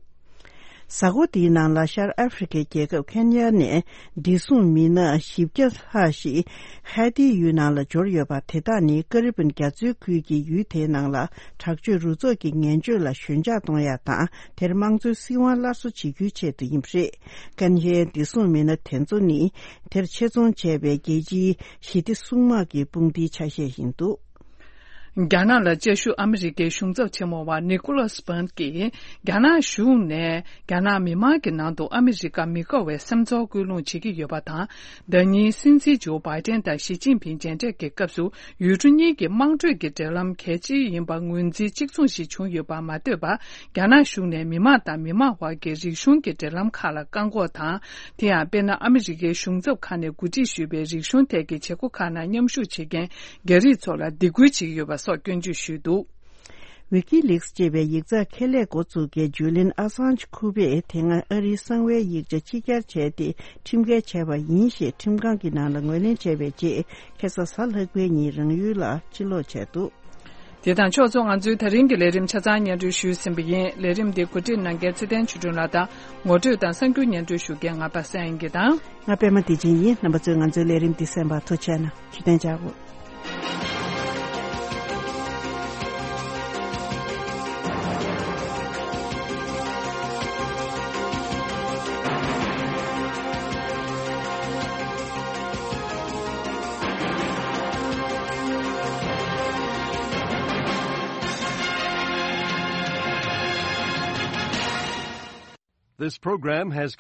གཟའ་འཁོར་འདིའི་ནང་ལ་ཤར་ཨ་ཧྥེ་རི་ཁའི་རྒྱལ་ཁབ་ཁེན་ཡ་ནས་བདེ་སྲུང་མི་སྣ་བཞི་བརྒྱ་ལྷག་ཞིག་ཧའེ་ཏིའི་ཡུལ་ནང་ལ་འབྱོར་ཡོད་པ། དེ་དག་ནི་ཀ་རི་བན་རྒྱ་མཚོའི་ཁུལ་གྱི་ཡུལ་དེའི་ནང་ལ་དྲག་སྤྱོད་རུ་ཚོགས་ཀྱི་ངན་སྤྱོད་ལ་ཞོད་འཇགས་གཏོང་ཡ་དང་། དེར་དམངས་གཙོའི་སྲིད་དབང་སླར་གསོ་བྱེད་རྒྱུའི་ཆེད་དུ་ཡིན་པ་རེད། ཁེན་ཡའི་བདེ་སྲུང་མི་སྣ་དེ་ཚོ་ནི་དེར་ཆེད་རྫོང་བྱས་པའི་རྒྱལ་སྤྱིའི་ཞི་བདེ་སྲུང་དམག་གི་དཔུང་སྡེའི་ཆ་ཤས་ཡིན་འདུག། རྒྱ་ནག་ལ་བཅའ་བཞུགས་ཨ་མི་རི་ཀའི་གཞུང་ཚབ་ཆེན་མོ་བ་ནི་ཀོ་ལོ་སི་པན་གྱིས་རྒྱ་ནག་གཞུང་ནས་རྒྱ་ནག་མི་མང་གི་ནང་དུ་ཨ་མི་རི་ཀ་མི་དགའ་བའི་སེམས་ཚོར་སྐུལ་སློང་བྱེད་ཀྱི་ཡོད་པ་དང་། ཟླ་ཉིན་སྲིད་འཛིན་ཇོ་བྷའི་ཏན་དང་ཞི་ཅིན་ཕིང་མཇལ་འཕྲད་ཀྱི་སྐབས་སུ་ཡུལ་གྲུ་གཉིས་ཀྱི་དམངས་ཁྲོད་ཀྱི་འབྲེལ་ལམ་གལ་ཆེ་ཡིན་པ་ངོས་འཛིན་གཅིག་མཚུངས་ཤིག་བྱུང་ཡོད་པ་མ་ལྟོས་པར། རྒྱ་ནག་གཞུང་ནས་མི་མང་དང་མི་མང་དབར་གྱི་རིག་གཞུང་གི་འབྲེལ་ལམ་ཁག་ལ་བཀག་འགོག་དང་། དེ་ཡང་དཔེར་ན་ཨ་མི་རི་ཀའི་གཞུང་ཚབ་ཁང་ནས་གོ་སྒྲིག་ཞུས་པའི་རིག་གཞུང་ཐད་ཀྱི་བྱེད་སྒོ་ཁག་ནང་མཉམ་ཞུགས་བྱེད་མཁན་རྒྱ་རིགས་ཚོ་ལ་སྡིགས་སྐུལ་བྱེད་ཀྱི་ཡོད་པ་སོགས་སྐྱོན་བརྗོད་ཞུས་འདུག། ཝི་ཀི་ལིགས་ཅེས་པའི་ཡིག་ཚགས་ཁེ་ལས་འགོ་བཙུགས་མཁན་ཇུ་ལིན་ཨ་སཱན་ཇི་ཁུ་པས་དེ་སྔ་ཨ་རིའི་གསང་བའི་ཡིག་ཆ་ཕྱི་གྱར་བྱས་ཏེ་ཁྲིམས་འགལ་བྱས་པ་ཡིན་ཞེས་ཁྲིམས་ཁང་གི་ནང་ལ་ངོས་ལེན་བྱས་པའི་རྗེས། ཁ་སང་གཟའ་ལྷག་པའི་ཉིན་རང་ཡུལ་ལ་ཕྱིར་ལོག་བྱས་འདུག། དེ་དང་ཕྱོགས་མཚུངས། ང་ཚོའི་ད་རིང་གི་ལས་རིམ་ཆ་ཚང་སྙན་སྒྲོན་ཞུས་ཟིན་པ་ཡིན། ལས་རིམ་འདི་གོ་སྒྲིག་གནང་མཁན་ཚེ་བརྟན་ཆོས་སྒྲོན་ལགས་དང་། ངོ་སྤྲོད་དང་གསར་འགྱུར་སྙན་སྒྲོན་ཞུ་མཁན་ང་པ་སངས་དབྱངས་སྐྱིད་དང་། ང་པད་མ་བདེ་ཆེན་ཡིན། རྣམ་པ་ཚོས་ང་ཚོའི་ལས་རིམ་འདི་གསན་པར་ཐུགས་རྗེ་གནང་། བརྩེ་ལྡན་ལྕགས་པོ། This program has come